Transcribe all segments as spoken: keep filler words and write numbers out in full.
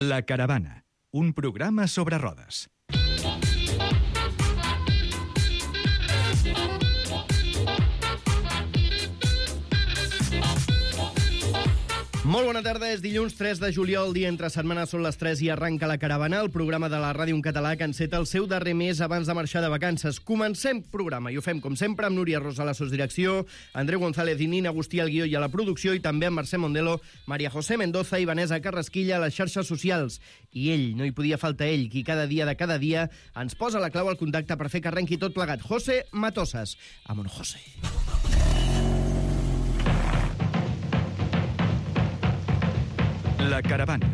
La Caravana, un programa sobre rodes. Molt bona tarda, és dilluns tres de juliol, dia entre setmanes, són les tres i arranca La Caravana, el programa de la ràdio en català que enceta el seu darrer mes abans de marxar de vacances. Comencem programa i ho fem, com sempre, amb Núria Rosa a la sosdirecció, Andreu González i Nina Agustí al guió i a la producció, i també amb Mercè Mondelo, Maria José Mendoza i Vanessa Carrasquilla a les xarxes socials. I ell, no hi podia faltar ell, qui cada dia de cada dia ens posa la clau al contacte per fer que arrenqui tot plegat. José Matosas. Amon, José. La Caravana,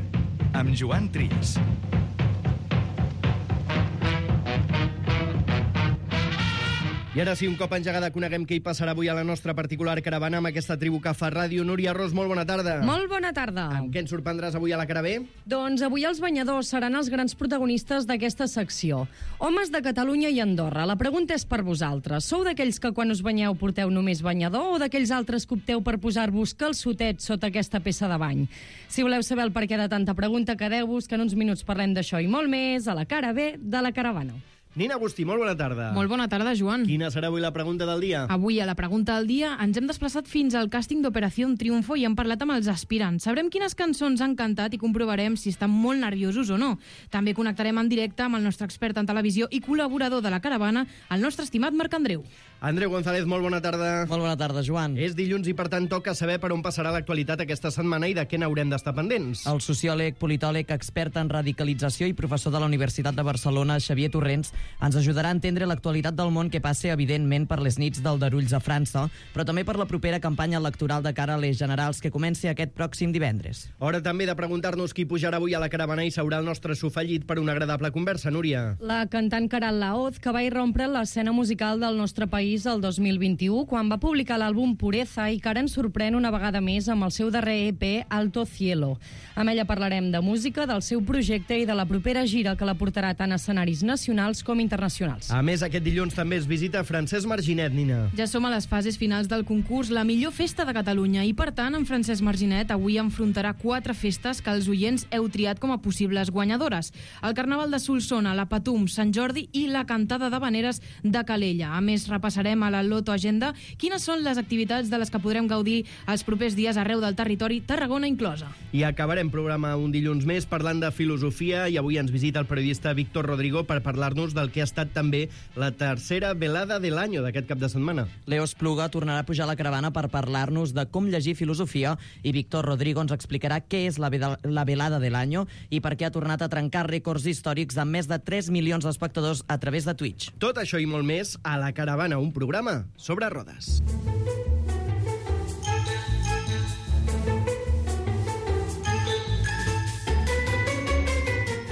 amb Joan Trias. I ara sí, un cop engegada, coneguem què hi passarà avui a la nostra particular caravana amb aquesta tribu que fa ràdio. Núria Ros, molt bona tarda. Molt bona tarda. Amb què ens sorprendràs avui a la Caravé? Doncs avui els banyadors seran els grans protagonistes d'aquesta secció. Homes de Catalunya i Andorra, la pregunta és per vosaltres. Sou d'aquells que quan us banyeu porteu només banyador o d'aquells altres que opteu per posar-vos calçotet sota aquesta peça de bany? Si voleu saber el perquè de tanta pregunta, quedeu-vos que en uns minuts parlem d'això i molt més a la cara B de la caravana. Nina Agustí, molt bona tarda. Molt bona tarda, Joan. Quina serà avui la pregunta del dia? Avui, a la pregunta del dia, ens hem desplaçat fins al càsting d'Operació Triunfo i hem parlat amb els aspirants. Sabrem quines cançons han cantat i comprovarem si estan molt nerviosos o no. També connectarem en directe amb el nostre expert en televisió i col·laborador de la caravana, el nostre estimat Marc Andreu. Andreu González, molt bona tarda. Molt bona tarda, Joan. És dilluns i, per tant, toca saber per on passarà l'actualitat aquesta setmana i de què n'haurem d'estar pendents. El sociòleg, politòleg, expert en radicalització i professor de la Universitat de Barcelona, Xavier Torrents, ens ajudarà a entendre l'actualitat del món que passa, evidentment, per les nits d'aldarulls a França, però també per la propera campanya electoral de cara a les generals que comença aquest pròxim divendres. Hora també de preguntar-nos qui pujarà avui a la caravana i seurà el nostre sofallit per una agradable conversa, Núria. La cantant Caral Laoz, que va irrompre l'escena musical del nostre país el dos mil vint-i-u, quan va publicar l'àlbum Pureza, i que ara ens sorprèn una vegada més amb el seu darrer E P, Alto Cielo. Amb ella parlarem de música, del seu projecte i de la propera gira que la portarà tant a escenaris nacionals com internacionals. A més, aquest dilluns també es visita Francesc Marginet, Nina. Ja som a les fases finals del concurs La millor festa de Catalunya i, per tant, en Francesc Marginet avui enfrontarà quatre festes que els oients heu triat com a possibles guanyadores. El Carnaval de Solsona, la Patum, Sant Jordi i la Cantada d'Havaneres de Calella. A més, repassarem a la Loto Agenda quines són les activitats de les que podrem gaudir els propers dies arreu del territori, Tarragona inclosa. I acabarem programa un dilluns més parlant de filosofia i avui ens visita el periodista Víctor Rodrigo per parlar-nos del que ha estat també la tercera velada de l'any d'aquest cap de setmana. Leo Espluga tornarà a pujar a la caravana per parlar-nos de com llegir filosofia i Víctor Rodrigo ens explicarà què és la, la velada de l'any i per què ha tornat a trencar rècords històrics amb més de tres milions d'espectadors a través de Twitch. Tot això i molt més a la caravana, un programa sobre rodes.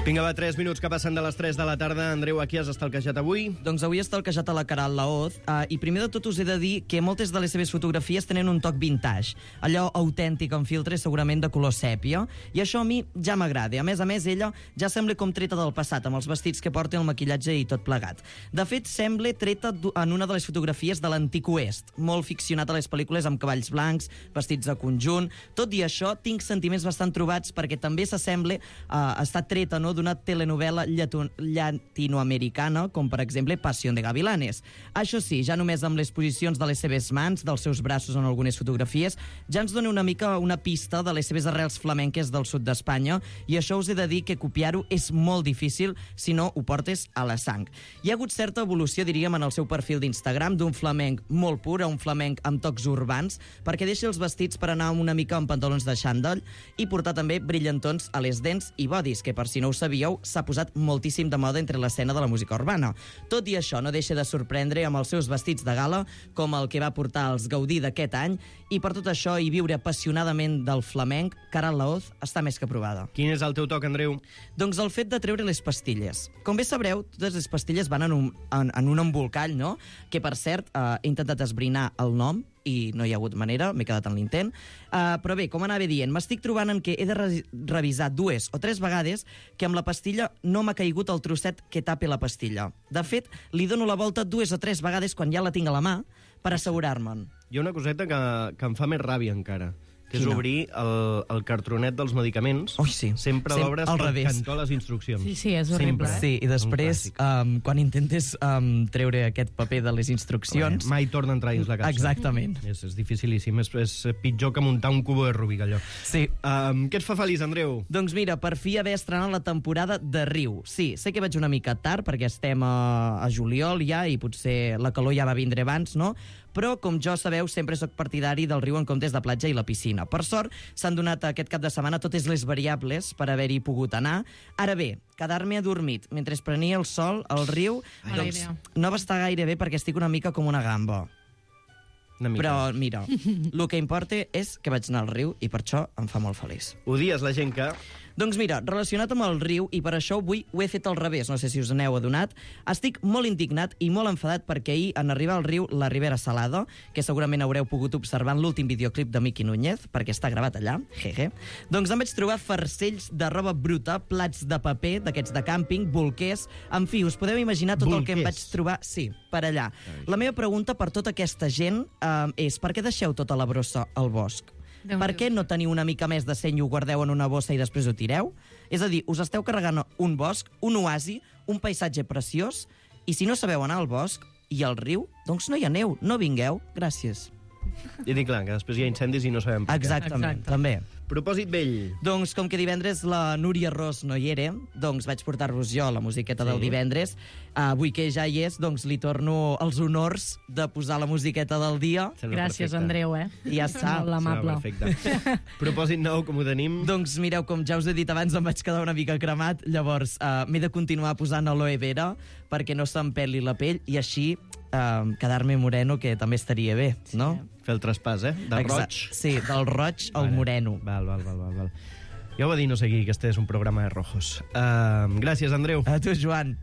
Vinga, va, tres minuts que passen de les tres de la tarda. Andreu, a qui has estalquejat avui? Doncs avui he estalquejat a la Caral Laoz uh, i primer de tot us he de dir que moltes de les seves fotografies tenen un toc vintage, allò autèntic amb filtres segurament de color sèpia, i això a mi ja m'agrada. A més a més, ella ja sembla com treta del passat, amb els vestits que porta, el maquillatge i tot plegat. De fet, sembla treta en una de les fotografies de l'antic oest, molt ficcionat a les pel·lícules amb cavalls blancs, vestits de conjunt. Tot i això, tinc sentiments bastant trobats perquè també s'assembla a uh, estar treta, no?, d'una telenovela llatinoamericana, com per exemple Pasión de Gavilanes. Això sí, ja només amb les posicions de les seves mans, dels seus braços en algunes fotografies, ja ens dona una mica una pista de les seves arrels flamenques del sud d'Espanya, i això us he de dir que copiar-ho és molt difícil si no ho portes a la sang. Hi ha hagut certa evolució, diríem, en el seu perfil d'Instagram, d'un flamenc molt pur a un flamenc amb tocs urbans, perquè deixa els vestits per anar una mica amb pantalons de xandall i portar també brillantons a les dents i bodis, que per si no ho sabíeu, s'ha posat moltíssim de moda entre l'escena de la música urbana. Tot i això, no deixa de sorprendre amb els seus vestits de gala, com el que va portar als Gaudí d'aquest any, i per tot això i viure apassionadament del flamenc, Caral Laoz està més que provada. Quin és el teu toc, Andreu? Doncs el fet de treure les pastilles. Com bé sabreu, totes les pastilles van en un, en, en un embolcall, no?, que, per cert, eh, he intentat esbrinar el nom, i no hi ha hagut manera, m'he quedat en l'intent. Uh, però bé, com anava dient, m'estic trobant en que he de re revisar dues o tres vegades que amb la pastilla no m'ha caigut el trosset que tapi la pastilla. De fet, li dono la volta dues o tres vegades quan ja la tinc a la mà per assegurar-me'n. Hi ha una coseta que, que em fa més ràbia encara. que és Quina? obrir el, el cartronet dels medicaments. Ui, sí. Sempre Sem- l'obres al pel revés. cantó a les instruccions. Sí, sí, és horrible. Sempre. Sí, i després, Un clàssic. um, quan intentes um, treure aquest paper de les instruccions... Clar, mai torna a entrar dins la capsa. Exactament. És, és dificilíssim, és, és pitjor que muntar un cubo de Rubik, allò. Sí. Um, què et fa feliç, Andreu? Doncs mira, per fi haver estrenat la temporada de Riu. Sí, sé que vaig una mica tard, perquè estem a, a juliol ja, i potser la calor ja va vindre abans, no? Però, com jo sabeu, sempre sóc partidari del riu en comptes de platja i la piscina. Per sort, s'han donat aquest cap de setmana totes les variables per haver-hi pogut anar. Ara bé, quedar-me adormit mentre prenia el sol al riu, Mala doncs idea. no va estar gaire bé perquè estic una mica com una gamba. Una mica. Però, mira, el que importa és que vaig anar al riu i per això em fa molt feliç. Odies la gent que... Doncs mira, relacionat amb el riu, i per això avui ho he fet al revés, no sé si us n'heu adonat, estic molt indignat i molt enfadat perquè ahir, en arribar al riu, la Ribera Salada, que segurament haureu pogut observar en l'últim videoclip de Miki Núñez, perquè està gravat allà, jeje, doncs em vaig trobar farcells de roba bruta, plats de paper, d'aquests de càmping, bolquers, en fi, us podeu imaginar tot el que em vaig Bolquers. trobar, sí, per allà. La meva pregunta per tota aquesta gent eh, és per què deixeu tota la brossa al bosc? Déu Per meu. què no teniu una mica més de seny i ho guardeu en una bossa i després ho tireu? És a dir, us esteu carregant un bosc, un oasi, un paisatge preciós, i si no sabeu anar al bosc i al riu, doncs no hi aneu, no vingueu. Gràcies. I dic, clar, que després hi ha incendis i no sabem per què. Exactament, Exacte. també. Propòsit vell. Doncs com que divendres la Núria Ros no hi era, doncs vaig portar-vos jo la musiqueta Sí. del divendres. Avui que ja hi és, doncs li torno els honors de posar la musiqueta del dia. Sembla Gràcies, perfecte. Andreu, eh? I ja està. Molt amable. Sembla perfecte. Propòsit nou, com ho tenim? Doncs mireu, com ja us he dit abans, em vaig quedar una mica cremat, llavors uh, m'he de continuar posant aloe vera perquè no se'm peli la pell i així uh, quedar-me moreno, que també estaria bé, no? Fer el traspàs, eh? De Exa- roig. Sí, del roig al Vale. moreno. Val, val, val, val, val. Ja ho va dir no sé qui, que este és un programa de rojos. Uh, gràcies, Andreu. A tu, Joan.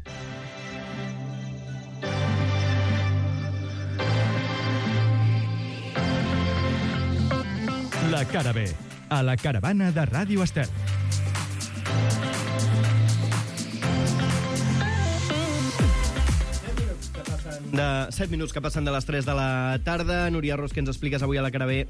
La cara B, a la caravana de Ràdio Estel. De set minuts que passen de les tres de la tarda. Núria Ros, què ens expliques avui a la cara B?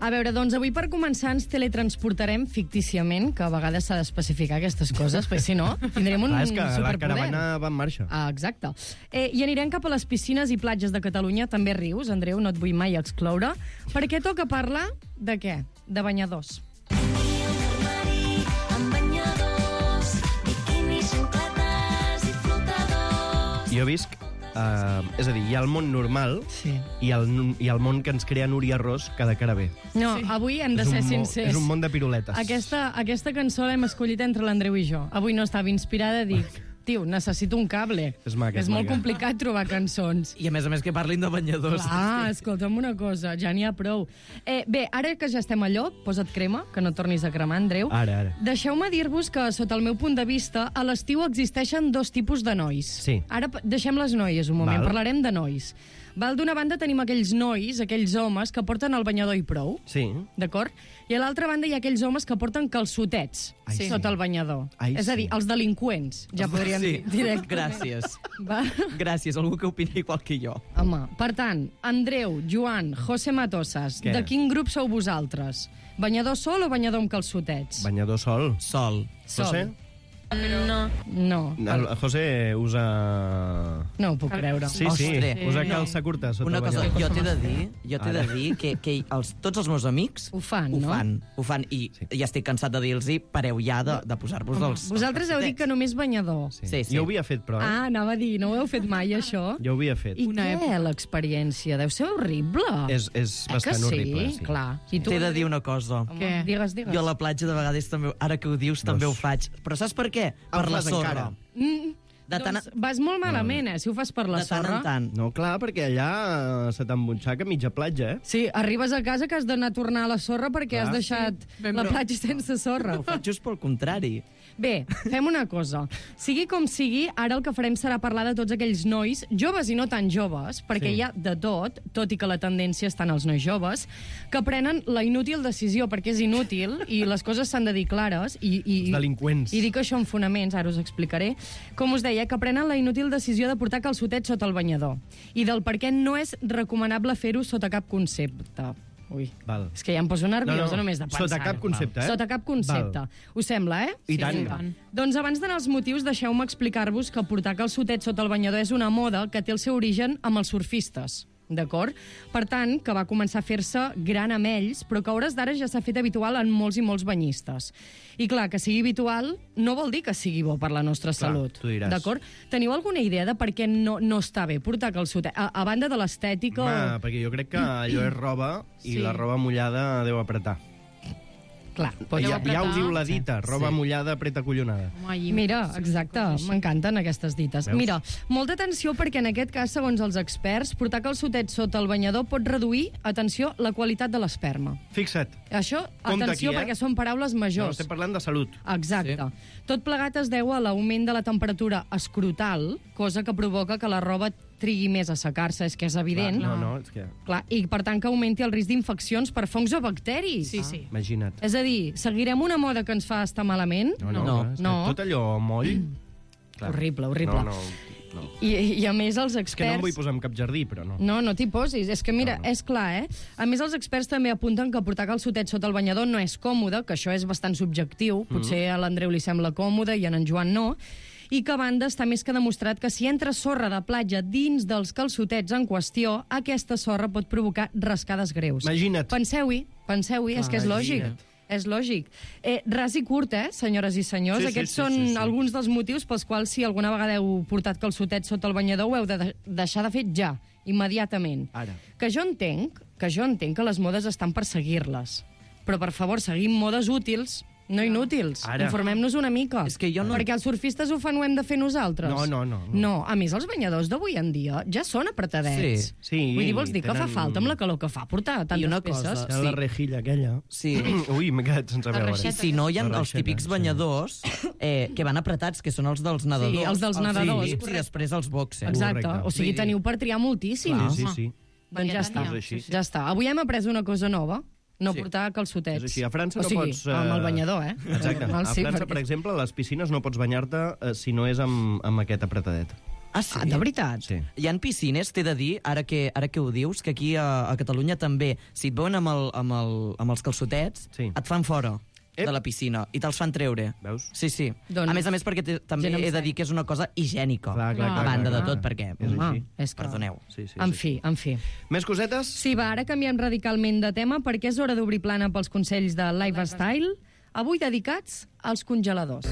A veure, doncs avui per començar ens teletransportarem fictíciament, que a vegades s'ha d'especificar aquestes coses, perquè si no, tindrem un Ah, és que la superpoder. caravana va en marxa. Ah, exacte. Eh, I anirem cap a les piscines i platges de Catalunya, també rius, Andreu, no et vull mai excloure, perquè toca parlar de què? De banyadors. Amb banyadors, biquinis, xancletes i flotadors. Jo visc... Uh, és a dir, hi ha el món normal Sí. i el, i el món que ens crea Núria Ros cada cara B. No, sí. Avui hem de És un ser mo- sincers. És un món de piruletes. Aquesta, aquesta cançó l'hem escollit entre l'Andreu i jo. Avui no estava inspirada, dic, tio, necessito un cable. És maca, és és molt maca. complicat trobar cançons. I a més a més que parlin de banyadors. Ah, escolta'm una cosa, ja n'hi ha prou. Eh, bé, ara que ja estem a lloc, posa't crema, que no tornis a cremar, Andreu. Ara, ara. Deixeu-me dir-vos que, sota el meu punt de vista, a l'estiu existeixen dos tipus de nois. Sí. Ara pa- deixem les noies un moment, Val. parlarem de nois. Val, d'una banda tenim aquells nois, aquells homes que porten el banyador i prou, Sí. d'acord? I a l'altra banda hi ha aquells homes que porten calçotets Ai, sí. sota el banyador. Ai, És a dir, sí. els delinqüents, ja podríem Sí, dir directament. gràcies. Va? Gràcies, algú que opini igual que jo. Home, per tant, Andreu, Joan, José Matosas, Què? de quin grup sou vosaltres? Banyador sol o banyador amb calçotets? Banyador sol. Sol. Sol. José? No. No, El José usa... no ho puc creure. Sí, sí, Ostres. usa No. calça curta sota Una el cosa, banyador. jo t'he de dir, jo t'he de Ara. dir que, que els, tots els meus amics Ho fan, ho no? fan, ho fan, i Sí. ja estic cansat de dir-los pareu ja de, de posar-vos els... Vosaltres heu dit que només banyador. Sí. Sí, sí. Jo ho havia fet, però... Eh? Ah, anava a dir, no ho heu fet mai, això? Jo ho havia fet. I Una què, època. l'experiència? Deu ser horrible. És, és Eh bastant que sí? horrible. Sí. Clar. I tu? T'he de dir una cosa. Home, Què? Digues, digues. Jo a la platja de vegades també, ara que ho dius, també ho faig. Però saps per què? Ah, ho Per la fas sorra. encara? Mm, De tant, doncs vas molt malament, eh, si ho fas per la de tant sorra. en tant. No, clar, perquè allà eh, se t'embutxaca mitja platja, eh? Sí, arribes a casa que has d'anar a tornar a la sorra perquè Clar. has deixat ben la brou. platja sense sorra. Ho faig just pel contrari. Bé, fem una cosa. Sigui com sigui, ara el que farem serà parlar de tots aquells nois, joves i no tan joves, perquè Sí. hi ha de tot, tot i que la tendència està en els nois joves, que prenen la inútil decisió, perquè és inútil, i les coses s'han de dir clares, i, i, Els delinqüents. i dic això en fonaments, ara us explicaré, com us deia, que prenen la inútil decisió de portar calçotets sota el banyador, i del per què no és recomanable fer-ho sota cap concepte. Ui, Val. és que ja em poso nerviosa només de pensar. Sota cap concepte, eh? Sota cap concepte. Val. Us sembla, eh? I tant. Sí, tant. Doncs abans d'anar als motius, deixeu-me explicar-vos que portar calçotets sota el banyador és una moda que té el seu origen amb els surfistes. D'acord? Per tant, que va començar a fer-se gran amb ells, però que a hores d'ara ja s'ha fet habitual en molts i molts banyistes. I clar, que sigui habitual no vol dir que sigui bo per la nostra Clar, salut. tu diràs. D'acord? Teniu alguna idea de per què no, no està bé portar calçotet? A, a banda de l'estètica... Home, perquè jo crec que allò és roba i Sí. la roba mullada deu apretar. Clar, Ja, doncs... ja apretar. ho diu la dita, roba Sí. mullada apreta collonada. Home, i- Mira, exacte, m'encanten aquestes dites. Veus? Mira, molta atenció perquè en aquest cas, segons els experts, portar calçotets sota el banyador pot reduir, atenció, la qualitat de l'esperma. Fixa't, Això, Compte atenció, aquí, eh? perquè són paraules no, majors. estem parlant de salut. Exacte. Sí. Tot plegat es deu a l'augment de la temperatura escrotal, cosa que provoca que la roba trigui més a secar-se, és que és evident. Clar, no, no, és que... Clar, i per tant que augmenti el risc d'infeccions per fongs o bacteris. Sí, sí. Imagina't. És a dir, seguirem una moda que ens fa estar malament? No, no, No. clar, és que No. tot allò moll... Clar. Horrible, horrible. No, no, no. I, I a més els És que no em experts... vull posar en cap jardí, però no. No, no t'hi posis. És que, mira, No, no, no. no. és clar, eh? A més, els experts també apunten que portar calçotet sota el banyador no és còmode, que això és bastant subjectiu. Potser a l'Andreu li sembla còmode i a en Joan no. I que, a banda, està més que demostrat que si entra sorra de platja dins dels calçotets en qüestió, aquesta sorra pot provocar rascades greus. Imagina't. Penseu-hi, penseu-hi, és que és lògic. Imagina't. És lògic. Eh, ras i curt, eh, senyores i senyors? Sí, sí, Aquests sí, són sí, sí. alguns dels motius pels quals, si alguna vegada heu portat calçotets sota el banyador, ho heu de de deixar de fer ja, immediatament. Ara. Que jo entenc, que jo entenc que les modes estan per seguir-les. Però, per favor, seguim modes útils, no inútils. Ara. Informem-nos una mica. És que jo no- Perquè els surfistes ho fan, ho hem de fer nosaltres. No, no, no, no. No, a més, els banyadors d'avui en dia ja són apretadets. Sí, sí, Vull dir, vols dir que fa tenen- falta amb la calor que fa portar tantes una peces? cosa, Era la Sí. rejilla aquella. Sí. Ui, m'he quedat sense La veure. reixeta. I si no, hi ha La els reixeta, típics sí. banyadors eh, que van apretats, que són els dels nedadors. Sí, els dels nedadors, Sí, i correcte. després els boxers. Exacte, Correcte. o sigui, Vull dir- teniu per triar moltíssim. Sí, Clar, sí, home. sí. Doncs ja està, Varietat n'hi ha. És així. ja està. Avui hem après una cosa nova, no Sí. portar calçotets. És així. A França o no sigui, pots... eh, amb el banyador, eh? Exacte. Normal, A sí, França, perquè- per exemple, a les piscines no pots banyar-te eh, si no és amb, amb aquest apretadet. Ah, sí? Ah, de veritat? Sí. Hi ha piscines, t'he de dir, ara que, ara que ho dius, que aquí a, a Catalunya també, si et veuen amb, el, amb, el, amb els calçotets, Sí. et fan fora Ep. de la piscina i te'ls fan treure. Veus? Sí, sí. Doncs- a més a més, perquè te, també Gent amb he de seny. dir que és una cosa higiènica. Clar, clar, Ah. clar, a banda clar, de tot, clar. perquè... És Home, així. és que... Perdoneu. Sí, sí, En sí. fi, en fi. Més cosetes? Sí, va, ara canviem radicalment de tema perquè és hora d'obrir plana pels consells de Lifestyle, avui dedicats als congeladors.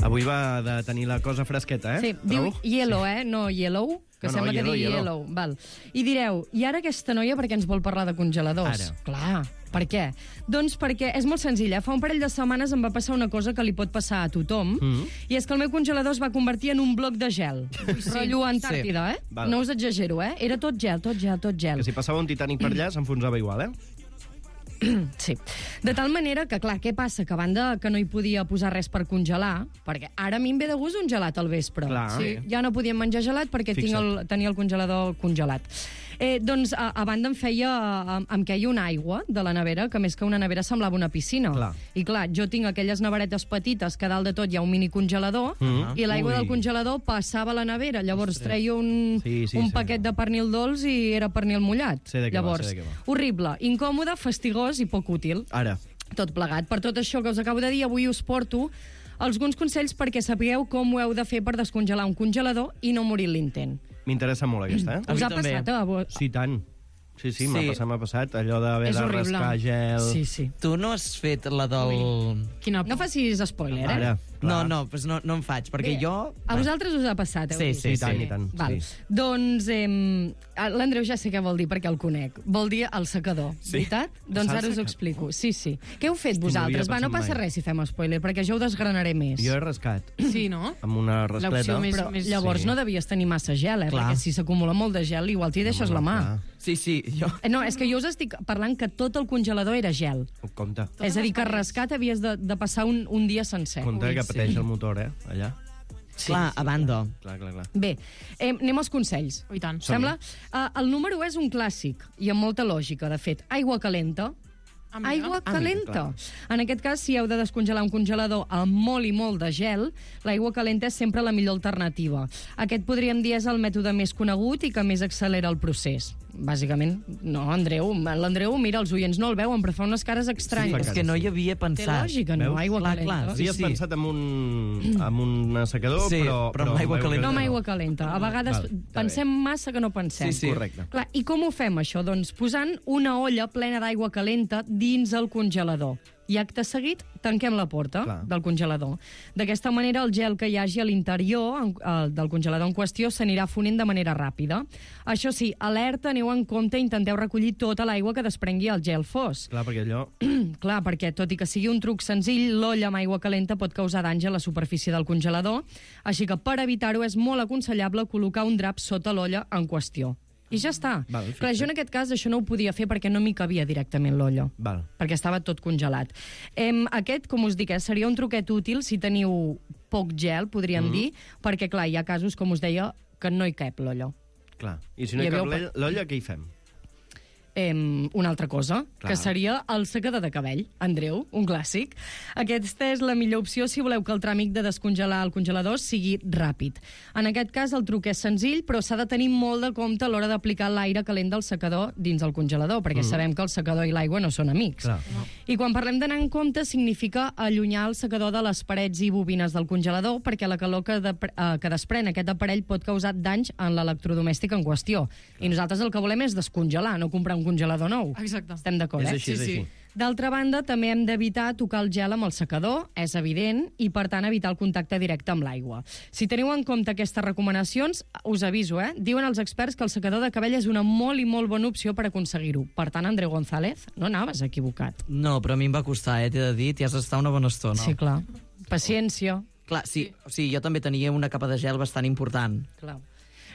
Avui va de tenir la cosa fresqueta, eh? Sí, diu Trobo? yellow, eh? No yellow, que No, no, sembla yellow, que digui yellow. yellow. Val. I direu, i ara aquesta noia per què ens vol parlar de congeladors? Ara. Clar, per què? Doncs perquè és molt senzill, eh? Fa un parell de setmanes em va passar una cosa que li pot passar a tothom, Mm. i és que el meu congelador es va convertir en un bloc de gel. Rotllo Antàrtida, eh? Val. No us exagero, eh? Era tot gel, tot gel, tot gel. Que si passava un Titanic per allà s'enfonsava igual, eh? Sí. De tal manera que, clar, què passa? Que a banda que no hi podia posar res per congelar, perquè ara a mi em ve de gust un gelat al vespre. Clar. Sí, ja no podíem menjar gelat perquè tinc Fixa't. el, tenia el congelador congelat. Eh, doncs, a, a banda em feia... Em, em queia una aigua de la nevera, que més que una nevera semblava una piscina. Clar. I clar, jo tinc aquelles neveretes petites que a dalt de tot hi ha un mini congelador, Mhm. i l'aigua Ui. del congelador passava a la nevera. Llavors treia un, Sí, sí, un sí. paquet de pernil dolç i era pernil mullat. Sé de què va, Llavors, sé de què va. horrible, incòmode, fastigós i poc útil. Ara. Tot plegat. Per tot això que us acabo de dir, avui us porto alguns consells perquè sapigueu com ho heu de fer per descongelar un congelador i no morir en l'intent. M'interessa molt aquesta, A eh? Us mi ha també. passat a vos? Sí, tant. Sí, sí, m'ha Sí. passat, m'ha passat. Allò d'haver És de horrible. rascar gel... Sí, sí. Tu no has fet la del... Quina por. No facis spoiler, eh? Ara, No, clar. no, pues no, no em faig, perquè Bé, jo... A vosaltres us ha passat, heu Sí, dit? sí, I tant, sí. i tant. Val. Sí. Doncs eh, l'Andreu ja sé què vol dir perquè el conec. Vol dir el secador, Sí. veritat? Doncs S'ha ara us ho secat. explico. Sí, sí. Què heu fet Hosti, no havia vosaltres? Va, no pensat passa mai. res si fem spoiler, perquè jo ho desgranaré més. Jo he rascat Sí, no? amb una rascleta. L'opció més- Però llavors Sí. no devies tenir massa gel, eh? Clar. Perquè si s'acumula molt de gel, igual t'hi deixes la mà. Clar. Sí, sí, jo... Eh, No, és que jo us estic parlant que tot el congelador era gel. Compte. És a dir, que les parets. rascat havies de, de passar un, un dia sencer. Compte que sí. pateix el motor, eh? Allà. Sí, clar, a banda. Clar, clar, clar. Bé, eh, anem als consells. Oh, i tant. Sembla? Uh, el número és un clàssic, i amb molta lògica, de fet. Aigua calenta, Ah, mira. Aigua Ah, calenta. mira, En aquest cas, si heu de descongelar un congelador amb molt i molt de gel, l'aigua calenta és sempre la millor alternativa. Aquest, podríem dir, és el mètode més conegut i que més accelera el procés. Bàsicament, no, Andreu, l'Andreu, mira, els oients no el veuen, però fa unes cares estranyes. És que no hi havia Té pensat. lògica, no? Veus? Aigua Clar, calenta. clar. Havies Sí, sí. pensat en un, en un assecador, Sí, però, però amb aigua calenta No amb no. aigua calenta. A vegades Val, està pensem massa que no pensem. Sí, sí. Correcte. Clar, i com ho fem, això? Doncs posant una olla plena d'aigua calenta dins el congelador. I acte seguit, tanquem la porta Clar. del congelador. D'aquesta manera, el gel que hi hagi a l'interior en- eh, del congelador en qüestió s'anirà fonent de manera ràpida. Això sí, alerta, aneu en compte i intenteu recollir tota l'aigua que desprengui el gel fos. Clar, perquè allò... Clar, perquè tot i que sigui un truc senzill, l'olla amb aigua calenta pot causar danys a la superfície del congelador, així que per evitar-ho és molt aconsellable col·locar un drap sota l'olla en qüestió. I ja està. Val, Clar, jo en aquest cas això no ho podia fer perquè no m'hi cabia directament l'olla, Val. perquè estava tot congelat. Em, aquest, com us dic, eh, seria un truquet útil si teniu poc gel, podríem mm. dir, perquè, clar, hi ha casos, com us deia, que no hi cap l'olla. Clar. I si no hi Hi cap havia- l'olla- l'olla, què hi fem? Em, una altra cosa, Clar. que seria el secador de cabell. Andreu, un clàssic. Aquesta és la millor opció si voleu que el tràmit de descongelar el congelador sigui ràpid. En aquest cas, el truc és senzill, però s'ha de tenir molt de compte a l'hora d'aplicar l'aire calent del secador dins el congelador, perquè mm. sabem que el secador i l'aigua no són amics. Clar. I quan parlem d'anar en compte, significa allunyar el secador de les parets i bobines del congelador, perquè la calor que, de, eh, que desprèn aquest aparell pot causar danys en l'electrodomèstic en qüestió. I nosaltres el que volem és descongelar, no comprar un congelador nou. Exacte. Estem d'acord, És eh? així, és Sí, sí. així. D'altra banda, també hem d'evitar tocar el gel amb el secador, és evident, i per tant evitar el contacte directe amb l'aigua. Si teniu en compte aquestes recomanacions, us aviso, eh? Diuen els experts que el secador de cabell és una molt i molt bona opció per aconseguir-ho. Per tant, Andreu González, no anaves equivocat. No, però a mi em va costar, eh, t'he de dir, t'hi has d'estar una bona estona. Sí, clar. Paciència. Clar, sí, o sigui, jo també tenia una capa de gel bastant important. Clar.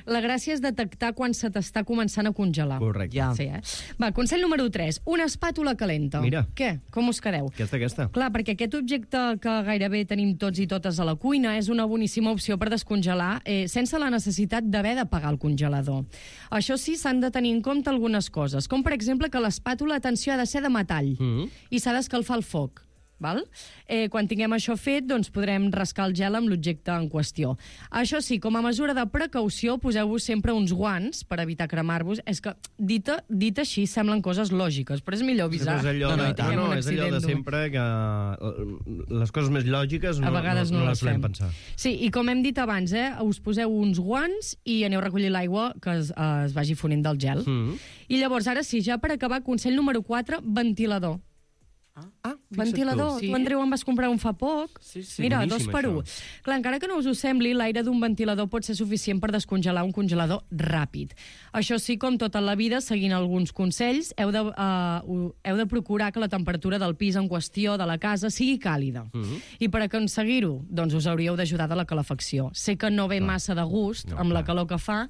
La gràcia és detectar quan se t'està començant a congelar. Correcte. Ja. Sí, eh? Va, consell número tres. Una espàtula calenta. Mira. Què? Com us quedeu? Aquesta, aquesta. Clar, perquè aquest objecte que gairebé tenim tots i totes a la cuina és una boníssima opció per descongelar eh, sense la necessitat d'haver d'apagar el congelador. Això sí, s'han de tenir en compte algunes coses, com per exemple que l'espàtula, atenció, ha de ser de metall Mm. i s'ha d'escalfar el foc. Val? Eh, quan tinguem això fet, doncs podrem rascar el gel amb l'objecte en qüestió. Això sí, com a mesura de precaució, poseu-vos sempre uns guants per evitar cremar-vos. És que, dit, dit així, semblen coses lògiques, però és millor Sí, avisar. però és allò, No, no, de, i tant. no, no, Un és allò de accident sempre que eh, les coses més lògiques no, A vegades no, no, no les les solem fem. pensar. Sí, i com hem dit abans, eh, us poseu uns guants i aneu a recollir l'aigua que es, eh, es vagi fonent del gel. Mm. I llavors, ara sí, ja per acabar, consell número quatre, ventilador. Ah, Ventilador. Tu, Sí. Andreu, en vas comprar un fa poc. Sí, sí. Mira, Boníssim, dos per això. un. Clar, encara que no us ho sembli, l'aire d'un ventilador pot ser suficient per descongelar un congelador ràpid. Això sí, com tota la vida, seguint alguns consells, heu de, uh, heu de procurar que la temperatura del pis en qüestió de la casa sigui càlida. Mm -hmm. I per aconseguir-ho, doncs us hauríeu d'ajudar de la calefacció. Sé que no ve massa de gust No, amb la clar. calor que fa,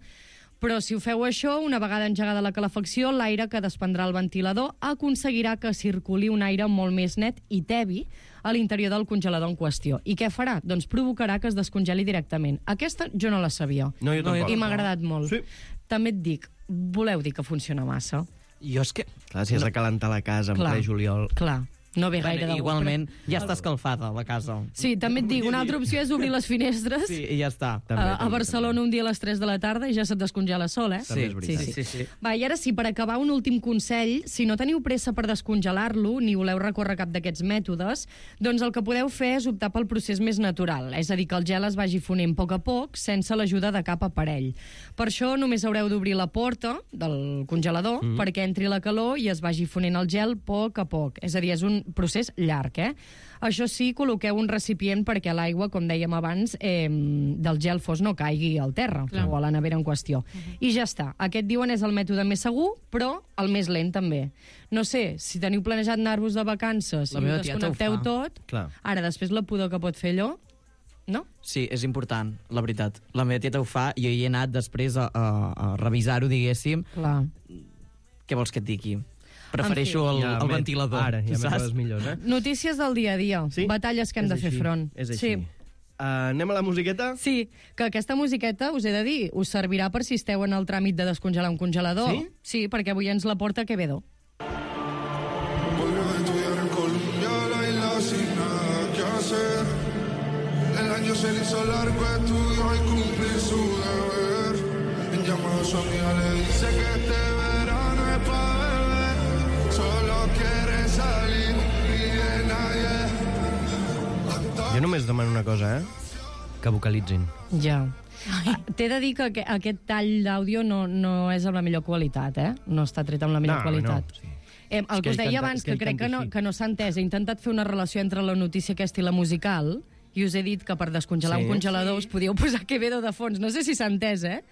però si ho feu això, una vegada engegada la calefacció, l'aire que desprendrà el ventilador aconseguirà que circuli un aire molt més net i tebi a l'interior del congelador en qüestió. I què farà? Doncs provocarà que es descongeli directament. Aquesta jo no la sabia. No, jo No, jo tampoc. I m'ha agradat molt. Sí. També et dic, voleu dir que funciona massa? Jo és que... Clar, si has de calentar la casa en Clar. ple juliol... Clar, no ve gaire Bueno, de gust, igualment, però- ja està escalfada la casa. Sí, també et dic, una altra opció és obrir les finestres. Sí, i ja està. També, a, a també, Barcelona un dia a les tres de la tarda i ja se't descongela sol, eh? També és veritat. sí, sí, sí. Va, i ara sí, per acabar, un últim consell. Si no teniu pressa per descongelar-lo, ni voleu recórrer cap d'aquests mètodes, doncs el que podeu fer és optar pel procés més natural, és a dir, que el gel es vagi fonent a poc a poc, sense l'ajuda de cap aparell. Per això només haureu d'obrir la porta del congelador mm. perquè entri la calor i es vagi fonent el gel a poc a poc. És a dir, és un procés llarg, eh? Això sí, col·loqueu un recipient perquè l'aigua, com dèiem abans, eh, del gel fos no caigui al terra Clar. o a la nevera en qüestió. Uh-huh. I ja està. Aquest, diuen, és el mètode més segur, però el més lent també. No sé, si teniu planejat anar-vos de vacances La i meva ho tieta ho desconnecteu fa. tot, Clar. ara després la pudor que pot fer allò, no? Sí, és important, la veritat. La meva tieta ho fa, jo hi he anat després a, a, a revisar-ho, diguéssim. Clar. Què vols que et digui? Prefereixo el, Ja el m'he- ventilador, Ara, ja tu m'he saps? coses millors, eh? Notícies del dia a dia. Sí? Batalles que hem És de fer així, front. És així. Sí. Uh, anem a la musiqueta? Sí, que aquesta musiqueta, us he de dir, us servirà per si esteu en el tràmit de descongelar un congelador. Sí? Sí, perquè avui ens la porta Quevedo. Volvió de hizo largo estudio y cumplir su deber. En llamado a su amiga le dice que este verano es pa' beber. Solo quiere salir y de nadie. Jo només demano una cosa, eh? Que vocalitzin. Ja. T'he de dir que aqu- aquest tall d'àudio no, no és amb la millor qualitat, eh? No està tret amb la millor No, qualitat. no, sí. Eh, el És que que us ell deia canta- abans, és que que, ell crec canta que no, així. que no s'ha entès. He intentat fer una relació entre la notícia aquesta i la musical, i us he dit que per descongelar Sí. un congelador us podíeu posar Quevedo de fons. No sé si s'ha entès, eh?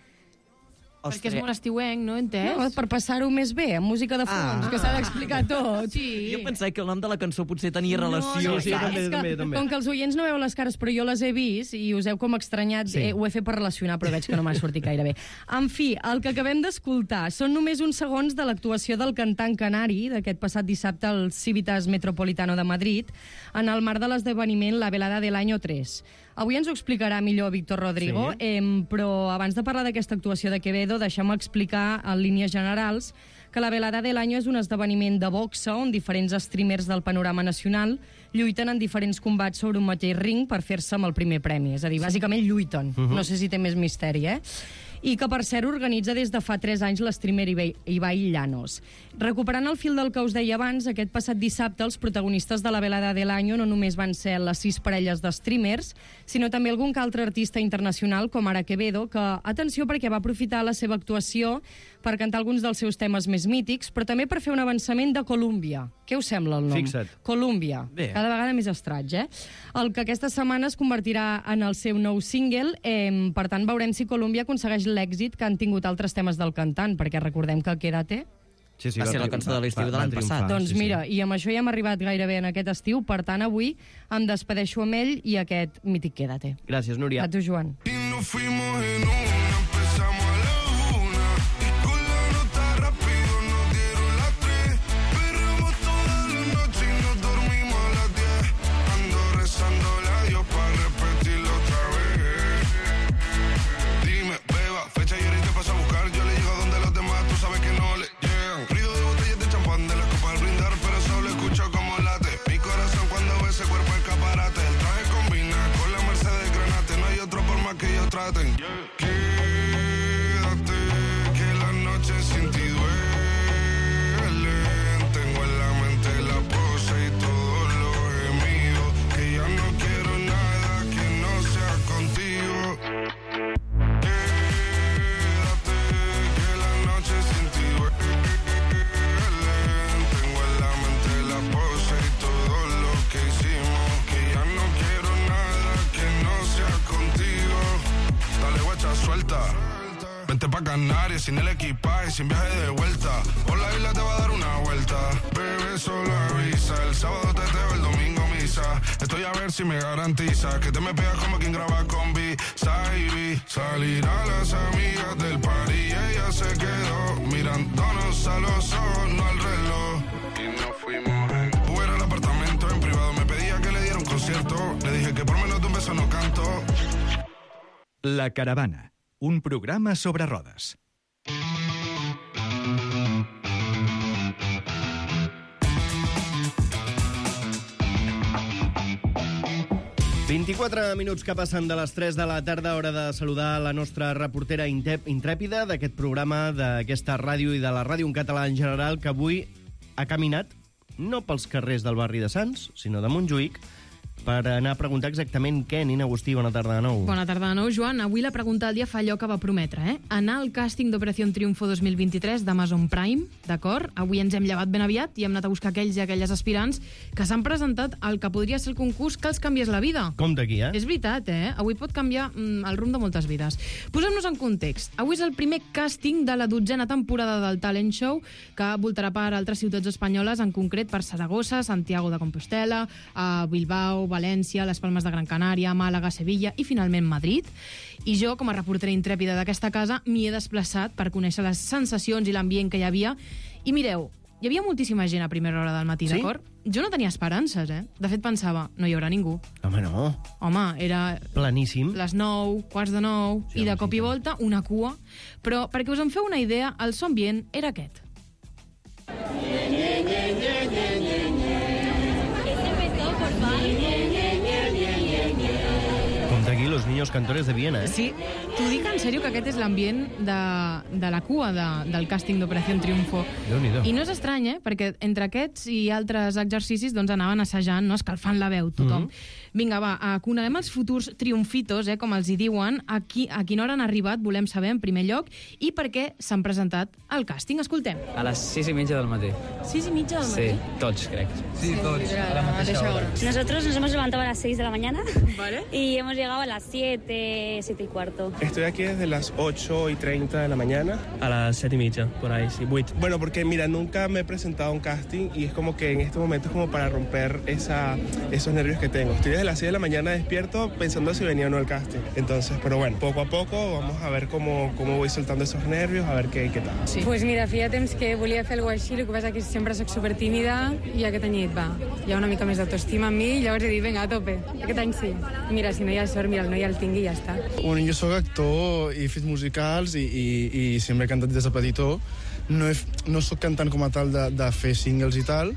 Perquè és molt estiuenc, no? Entès? No, per passar-ho més bé, amb música de fons, Ah. que s'ha d'explicar tot. Sí. Jo pensava que el nom de la cançó potser tenia relació. No, sí, clar, també, és que, també, també. Com que els oients no veu les cares, però jo les he vist i us heu com estranyat, Sí. eh, ho he fet per relacionar, però veig que no m'ha sortit gaire bé. En fi, el que acabem d'escoltar són només uns segons de l'actuació del cantant canari d'aquest passat dissabte al Civitas Metropolitano de Madrid en el marc de l'esdeveniment La Velada del Año tres. Avui ens ho explicarà millor Víctor Rodrigo, Sí. eh, però abans de parlar d'aquesta actuació de Quevedo, deixem explicar en línies generals que la Velada del Año és un esdeveniment de boxa on diferents streamers del panorama nacional lluiten en diferents combats sobre un mateix ring per fer-se amb el primer premi. És a dir, bàsicament lluiten. Uh -huh. No sé si té més misteri, eh? I que, per cert, organitza des de fa tres anys l'streamer Ibai, Ibai Llanos. Recuperant el fil del que us deia abans, aquest passat dissabte els protagonistes de la Velada del Año no només van ser les sis parelles de streamers, sinó també algun que altre artista internacional, com ara Quevedo, que, atenció, perquè va aprofitar la seva actuació per cantar alguns dels seus temes més mítics, però també per fer un avançament de Colúmbia. Què us sembla el nom? Fixa't. Colúmbia. Bé. Cada vegada més estraig, eh? El que aquesta setmana es convertirà en el seu nou single. Eh, per tant, veurem si Colúmbia aconsegueix l'èxit que han tingut altres temes del cantant, perquè recordem que Quédate... Sí, sí, Va ser la tri- cançó de l'estiu va- de va l'any triomfar, passat. Doncs sí, sí. mira, i amb això ja hem arribat gairebé en aquest estiu, per tant, avui em despedeixo amb ell i aquest mític Quédate. Gràcies, Núria. A tu, Joan. Y nos fuimos en una, empezamos a la una. Y con la nota rápido nos dieron las tres. Perramos toda la noche y nos dormimos a las diez. Ando rezándole a Dios para repetirlo otra vez. Dime, beba, fecha y ahorita paso a buscar. Yo le llego donde los demás, tú sabes que no le llegan. Ruido de botellas de champán de la copa al brindar, pero solo escucho como late. Mi corazón cuando ve ese cuerpo escaparate. El traje combina con la Mercedes Granate. No hay otro por más que ellos traten. Quédate, que la noche sin ti duele. Tengo en la mente la pose y todos los gemidos. Que ya no quiero nada que no sea contigo. Quédate, que la noche sin ti duele. Tengo en la mente la pose y todo lo que hicimos. Que ya no quiero nada que no sea contigo. Dale, guacha, suelta. Vente pa' Canarias sin el equipaje, sin viaje de vuelta. Por la isla te va a dar una vuelta. Bebé, solo avisa. El sábado te teo, el domingo misa. Estoy a ver si me garantiza que te me pegas como quien graba con B. Saibi. Salir a las amigas del party y ella se quedó mirándonos a los ojos, no al reloj. Y nos fuimos en Uber al apartamento en privado. Me pedía que le diera un concierto. Le dije que por menos de un beso no canto. La Caravana, un programa sobre rodes. vint-i-quatre minuts que passen de les tres de la tarda, hora de saludar la nostra reportera intep- intrèpida d'aquest programa, d'aquesta ràdio i de la ràdio en català en general, que avui ha caminat no pels carrers del barri de Sants, sinó de Montjuïc, per anar a preguntar exactament què. Nina Agustí, bona tarda de nou. Bona tarda de nou, Joan. Avui la pregunta del dia fa allò que va prometre, eh? Anar al càsting d'Operació Triunfo dos mil vint-i-tres d'Amazon Prime, d'acord? Avui ens hem llevat ben aviat i hem anat a buscar aquells i aquelles aspirants que s'han presentat al que podria ser el concurs que els canvies la vida. Compte aquí, eh? És veritat, eh? Avui pot canviar mm, el rumb de moltes vides. Posem-nos en context. Avui és el primer càsting de la dotzena temporada del Talent Show, que voltarà per altres ciutats espanyoles, en concret per Saragossa, Santiago de Compostela, a Bilbao, València, les Palmes de Gran Canària, Màlaga, Sevilla i finalment Madrid. I jo, com a reportera intrèpida d'aquesta casa, m'hi he desplaçat per conèixer les sensacions i l'ambient que hi havia. I mireu, hi havia moltíssima gent a primera hora del matí, Sí? d'acord? Jo no tenia esperances, eh? De fet, pensava, no hi haurà ningú. Home, no. Home, era Planíssim. les nou, quarts de nou, Sí, i de home, cop sí, i tant. volta una cua. Però, perquè us en feu una idea, el so ambient era aquest. Compte aquí, los niños cantores de Viena, eh? Sí, t'ho dic en sèrio que aquest és l'ambient de, de la cua de, del càsting d'Operació Triunfo. Déu-n'hi-do. I no és estrany, eh? Perquè entre aquests i altres exercicis doncs anaven assajant, no? Escalfant la veu, tothom. Mm-hmm. Vinga, va, uh, coneguem els futurs triomfitos, eh, com els hi diuen. A, qui, a quina hora han arribat, volem saber, en primer lloc, i per què s'han presentat al càsting. Escoltem. A les sis y media del matí. Sis i mitja del matí? Sí, tots, crec. Sí, tots, a la mateixa hora. Nosotros nos hemos levantado a las seis de la mañana. Vale. Y hemos llegado a las siete, siete y cuarto. Estoy aquí desde las ocho y treinta de la mañana. A las siete y media, por ahí, sí. Bueno, porque mira, nunca me he presentado a un casting y es como que en este momento es como para romper esa, esos nervios que tengo. Estoy desde las seis de la mañana despierto pensando si venía o no el casting. Entonces, pero bueno, poco a poco vamos a ver cómo, cómo voy soltando esos nervios, a ver qué, qué tal. Sí. Pues mira, feia temps que volia fer alguna cosa així, el que passa que sempre soc supertímida i aquest any he dit, va, hi ha una mica més d'autoestima en mi i llavors he dit, vinga, a tope, aquest any sí. Mira, si no hi ha sort, mira, el noi el tingui i ja està. Bueno, jo sóc actor i he fet musicals i, i, i sempre he cantat des de petitó. No, he, no sóc cantant com a tal de, de fer singles i tal,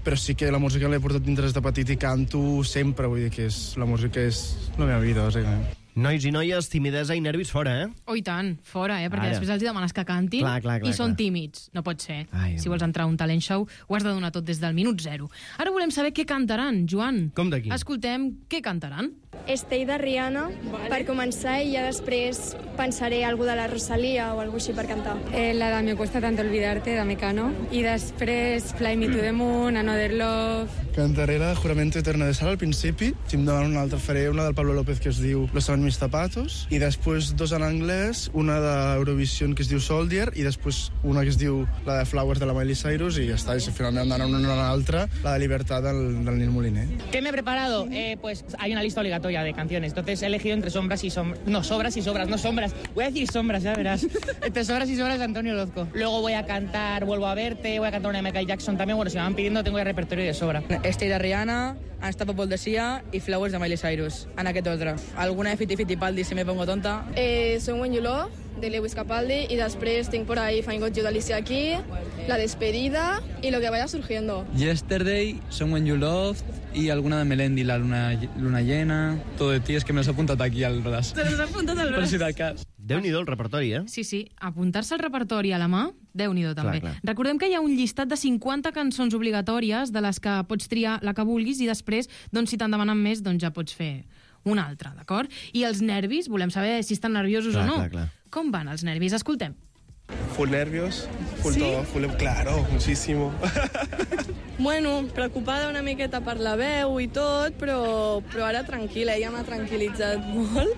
però sí que la música l'he portat dintre des de petit i canto sempre, vull dir que és, la música és la meva vida, bàsicament. Nois i noies, timidesa i nervis fora, eh? Oh, i tant, fora, eh? Perquè Ara. després els hi demanes que cantin Clar, clar, clar, i són clar. tímids. No pot ser. Ai, si vols entrar a un talent show, ho has de donar tot des del minut zero. Ara volem saber què cantaran, Joan. Com d'aquí? Escoltem què cantaran. Stay de Rihanna, vale. Per començar, i ja després pensaré algú de la Rosalía o algú així per cantar. Eh, la de Me cuesta tanto olvidarte, de Mecano. I després Fly Me to the Moon, Another Love. Cantaré la de Juramento Eterno de Sal al principi, si em donen una altra faré una del Pablo López que es diu Los saben mis zapatos, i després dos en anglès, una d'Eurovision que es diu Soldier, i després una que es diu la de Flowers de la Miley Cyrus, i ja està, i si finalment em donen una o l'altra, la de Libertad del, del Nil Moliner. ¿Qué me he preparado? Eh, pues hay una lista obligatoria de canciones, entonces he elegido entre sombras y sombras, no, sobras y sobras, no sombras, voy a decir sombras, ya verás, entre sobras y sobras de Antonio Orozco. Luego voy a cantar Vuelvo a verte, voy a cantar una de Michael Jackson también, bueno, si me van pidiendo tengo ya repertorio de sobra. Stay de Rihanna, Unstoppable de Sia i Flowers de Miley Cyrus, en aquest ordre. Alguna de Fiti Fittipaldi si me pongo tonta. Eh, soy When You Love, de Lewis Capaldi, y després tinc por ahí Find Got You de Alicia Keys, La Despedida y Lo que vaya surgiendo. Yesterday, Someone You Loved y alguna de Melendi, La Luna, luna Llena. Todo de ti, es que me los he apuntado aquí al braç. Te los he apuntat al Per braç. si del cas. Déu-n'hi-do el repertori, eh? Sí, sí, apuntar-se al repertori a la mà, Déu-n'hi-do també. Clar, clar. Recordem que hi ha un llistat de cinquanta cançons obligatòries de les que pots triar la que vulguis i després, doncs, si te'n demanen més, doncs ja pots fer una altra, d'acord? I els nervis, volem saber si estan nerviosos Clar, o no. clar, clar. Com van els nervis? Escoltem. Full nervios, full ¿Sí? todo, full... Claro, muchísimo. Bueno, preocupada una miqueta per la veu i tot, però, però ara tranquil·la, ella m'ha tranquil·litzat molt.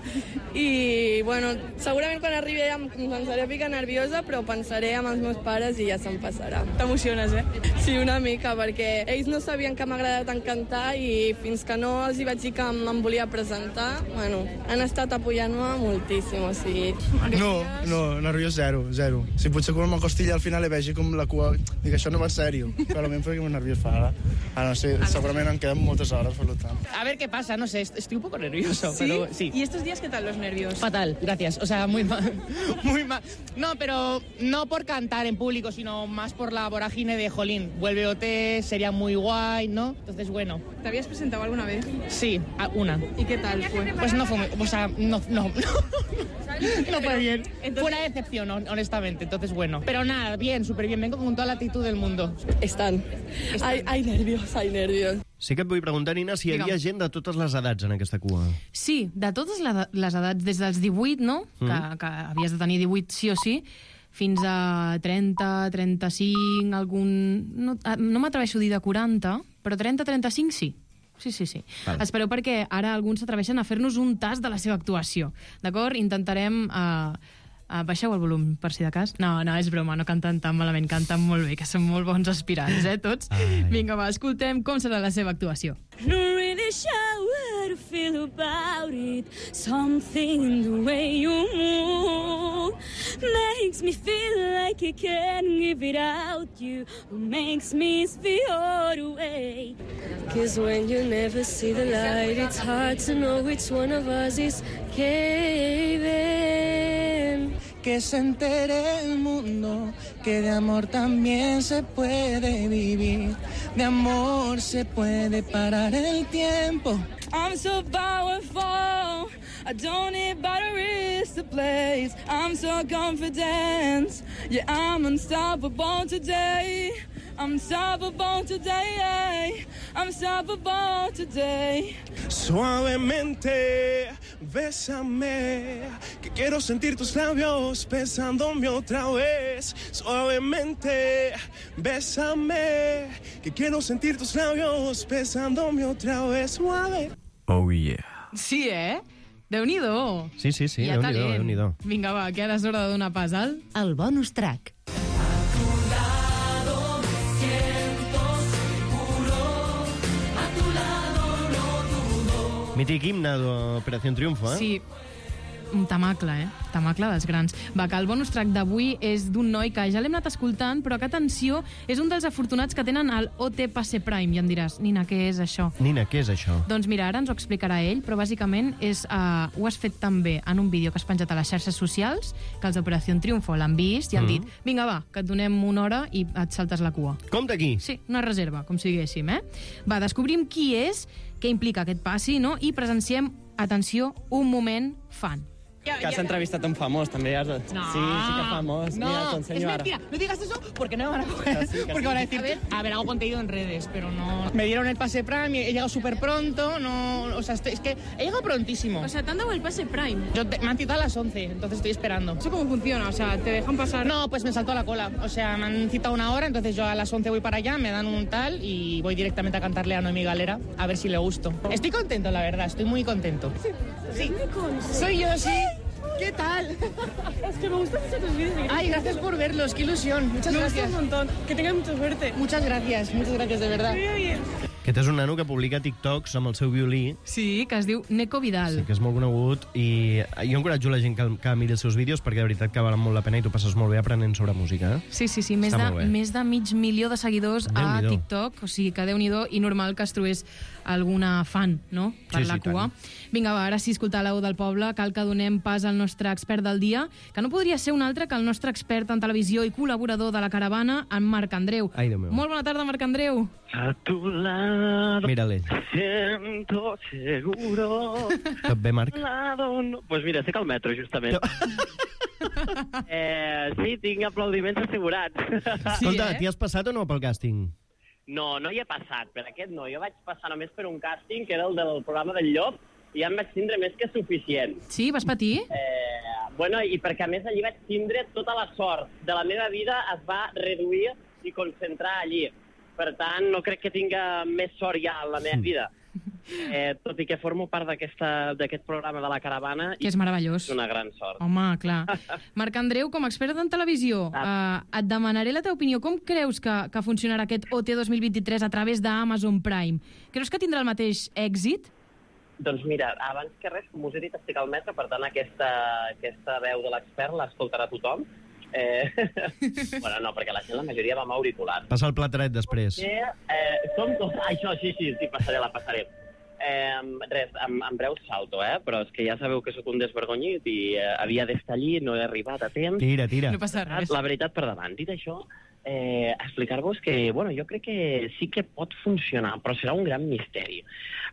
I, bueno, segurament quan arribi ja em començaré a ficar nerviosa, però pensaré amb els meus pares i ja se'm passarà. T'emociones, eh? Sí, una mica, perquè ells no sabien que m'agrada tant cantar i fins que no els hi vaig dir que em volia presentar, bueno, han estat apoyant-me moltíssim, o sigui... No, no, nerviós zero, zero. Si potser quan m'acosti al final i vegi com la cua... Dic, això no va en sèrio, però almenys perquè m'he nerviós fa ara. Ah, no sé, segurament em queden moltes hores, per tant. A ver qué pasa, no sé, est- estoy un poco nervioso, ¿Sí? pero sí. ¿Y estos días qué tal los nervios? Fatal, gracias. O sea, muy mal. Muy mal. No, pero no por cantar en público, sino más por la vorágine de Jolín. Vuelve O T, sería muy guay, ¿no? Entonces, bueno. ¿Te habías presentado alguna vez? Sí, a- una. ¿Y qué tal fue? Pues no fue muy... O sea, no, no, no. No fue bien. Entonces- Fue una decepción, hon- honestamente. Entonces, bueno. Pero nada, bien, súper bien. Vengo con toda la actitud del mundo. Estan. Hay, hay nervios, hay nervios. Sí que et vull preguntar, Nina, si hi havia Digue'm. gent de totes les edats en aquesta cua. Sí, de totes la- les edats, des dels divuit, no? Mm. Que, que havies de tenir divuit sí o sí, fins a trenta, trenta-cinc, algun... No, ah, no m'atreveixo a dir de quaranta, però trenta, trenta-cinc sí. Sí, sí, sí. Vale. Espereu perquè ara alguns s'atreveixen a fer-nos un tast de la seva actuació. D'acord? Intentarem... Uh, uh, baixeu el volum, per si de cas. No, no, és broma, no canten tan malament, canten molt bé, que són molt bons aspirants, eh, tots? Ai. Vinga, va, escoltem com serà la seva actuació. Not really sure what to feel about it. Something in the way you move makes me feel like I can't give it out. You makes me feel all the way. Cause when you never see the light, it's hard to know which one of us is caving. Que se entere el mundo que de amor también se puede vivir, de amor se puede parar el tiempo. I'm so powerful, I don't need batteries to blaze. I'm so confident. Yeah, I'm unstoppable today. I'm unstoppable today. I'm unstoppable today. Suavemente, bésame, que quiero sentir tus labios besándome otra vez. Suavemente, bésame, que quiero sentir tus labios besándome otra vez. Suave. Oh yeah. Sí, eh? Déu-n'hi-do. Sí, sí, sí, Hi ha Déu-n'hi-do, talent. Déu-n'hi-do. Vinga, va, que ara és hora de donar pas al... El bonus track. Mític himne d'Operació Triunfo, eh? Sí, un tamacle, eh? Tamacle dels grans. Va, que el bonus track d'avui és d'un noi que ja l'hem anat escoltant, però que, atenció, és un dels afortunats que tenen el O T Passe Prime. I em diràs, Nina, què és això? Nina, què és això? Doncs mira, ara ens ho explicarà ell, però bàsicament és, uh, ho has fet també en un vídeo que has penjat a les xarxes socials, que els d'Operació Triunfo l'han vist i han Mm. dit, vinga, va, que et donem una hora i et saltes la cua. Com d'aquí? Sí, una reserva, com si diguéssim, eh? Va, descobrim qui és, què implica aquest passi, no? I presenciem, atenció, un moment fan. Que has entrevistat a un famós, també. Has... No. Sí, sí que famós. No, Mira, t'ho es ensenyo ara. mentira. No digas eso porque no me van a coger. sí, que porque sí. van a decir, a ver, a ver, hago contenido en redes, pero no... Me dieron el pase Prime, he llegado súper pronto, no... O sea, estoy- es que he llegado prontísimo. O sea, ¿te han dado el pase Prime? Yo te- me han citado a las once, entonces estoy esperando. ¿Eso cómo funciona? O sea, ¿te dejan pasar? No, pues me saltó la cola. O sea, me han citado una hora, entonces yo a las once voy para allá, me dan un tal y voy directamente a cantarle a Noemi Galera a ver si le gusto. Estoy contento, la verdad, estoy muy contento. Sí, soy yo, sí. ¿Qué tal? Es que me gustan mucho tus vídeos. Ay, gracias por verlos, qué ilusión. Muchas Me gracias. gusta un montón. Que tengas mucha suerte. Muchas gracias, muchas gracias, de verdad. Muy bien. Aquest és un nano que publica TikToks amb el seu violí, Sí, que es diu Neko Vidal. sí, que és molt conegut, i jo encoratjo la gent que, que miri els seus vídeos perquè de veritat que valen molt la pena i tu passes molt bé aprenent sobre música. Eh? Sí, sí, sí, més Està de, molt bé. més de mig milió de seguidors a Déu-n'hi-do. TikTok, o sigui que Déu-n'hi-do, i normal que es trobés alguna fan, no?, per Sí, la sí, cua. tant. Vinga, va, ara sí, escoltar la veu del poble, cal que donem pas al nostre expert del dia, que no podria ser un altre que el nostre expert en televisió i col·laborador de la Caravana, en Marc Andreu. Ai, Déu meu. Molt bona tarda, Marc Andreu. A tu lado Mírale. siento seguro. Tot bé, Marc? Lado no... Pues mira, estic al metro, justament. eh, sí, tinc aplaudiments assegurats. Escolta, t'hi has passat o no pel càsting? No, no hi he passat. Per aquest no. Jo vaig passar només per un càsting, que era el del programa del Llop, i ja em vaig tindre més que suficient. Sí, vas patir? Eh, bueno, i perquè a més allí vaig tindre tota la sort de la meva vida es va reduir i concentrar allí. Per tant, no crec que tinga més sort ja en la meva vida. Eh, tot i que formo part d'aquesta- d'aquest programa de la Caravana... Que és meravellós. És una gran sort. Home, clar. Marc Andreu, com a expert en televisió, eh, et demanaré la teva opinió. Com creus que, que funcionarà aquest O T dos mil vint-i-tres a través d'Amazon Prime? Creus que tindrà el mateix èxit? Doncs mira, abans que res, com us he dit, estic al metro, per tant aquesta, aquesta veu de l'expert l'escoltarà tothom. Eh... bueno, no, perquè la gent, la majoria va amb auriculars. Passa el plateret després. Que, eh, som tots... Ah, això, sí, sí, sí, passaré, la passaré. Eh, res, en, en breu salto, eh? Però és que ja sabeu que sóc un desvergonyit i eh, havia d'estar allí, no he arribat a temps. Tira, tira. No passa res. La veritat per davant. Dit això, eh, explicar-vos que, bueno, jo crec que sí que pot funcionar, però serà un gran misteri.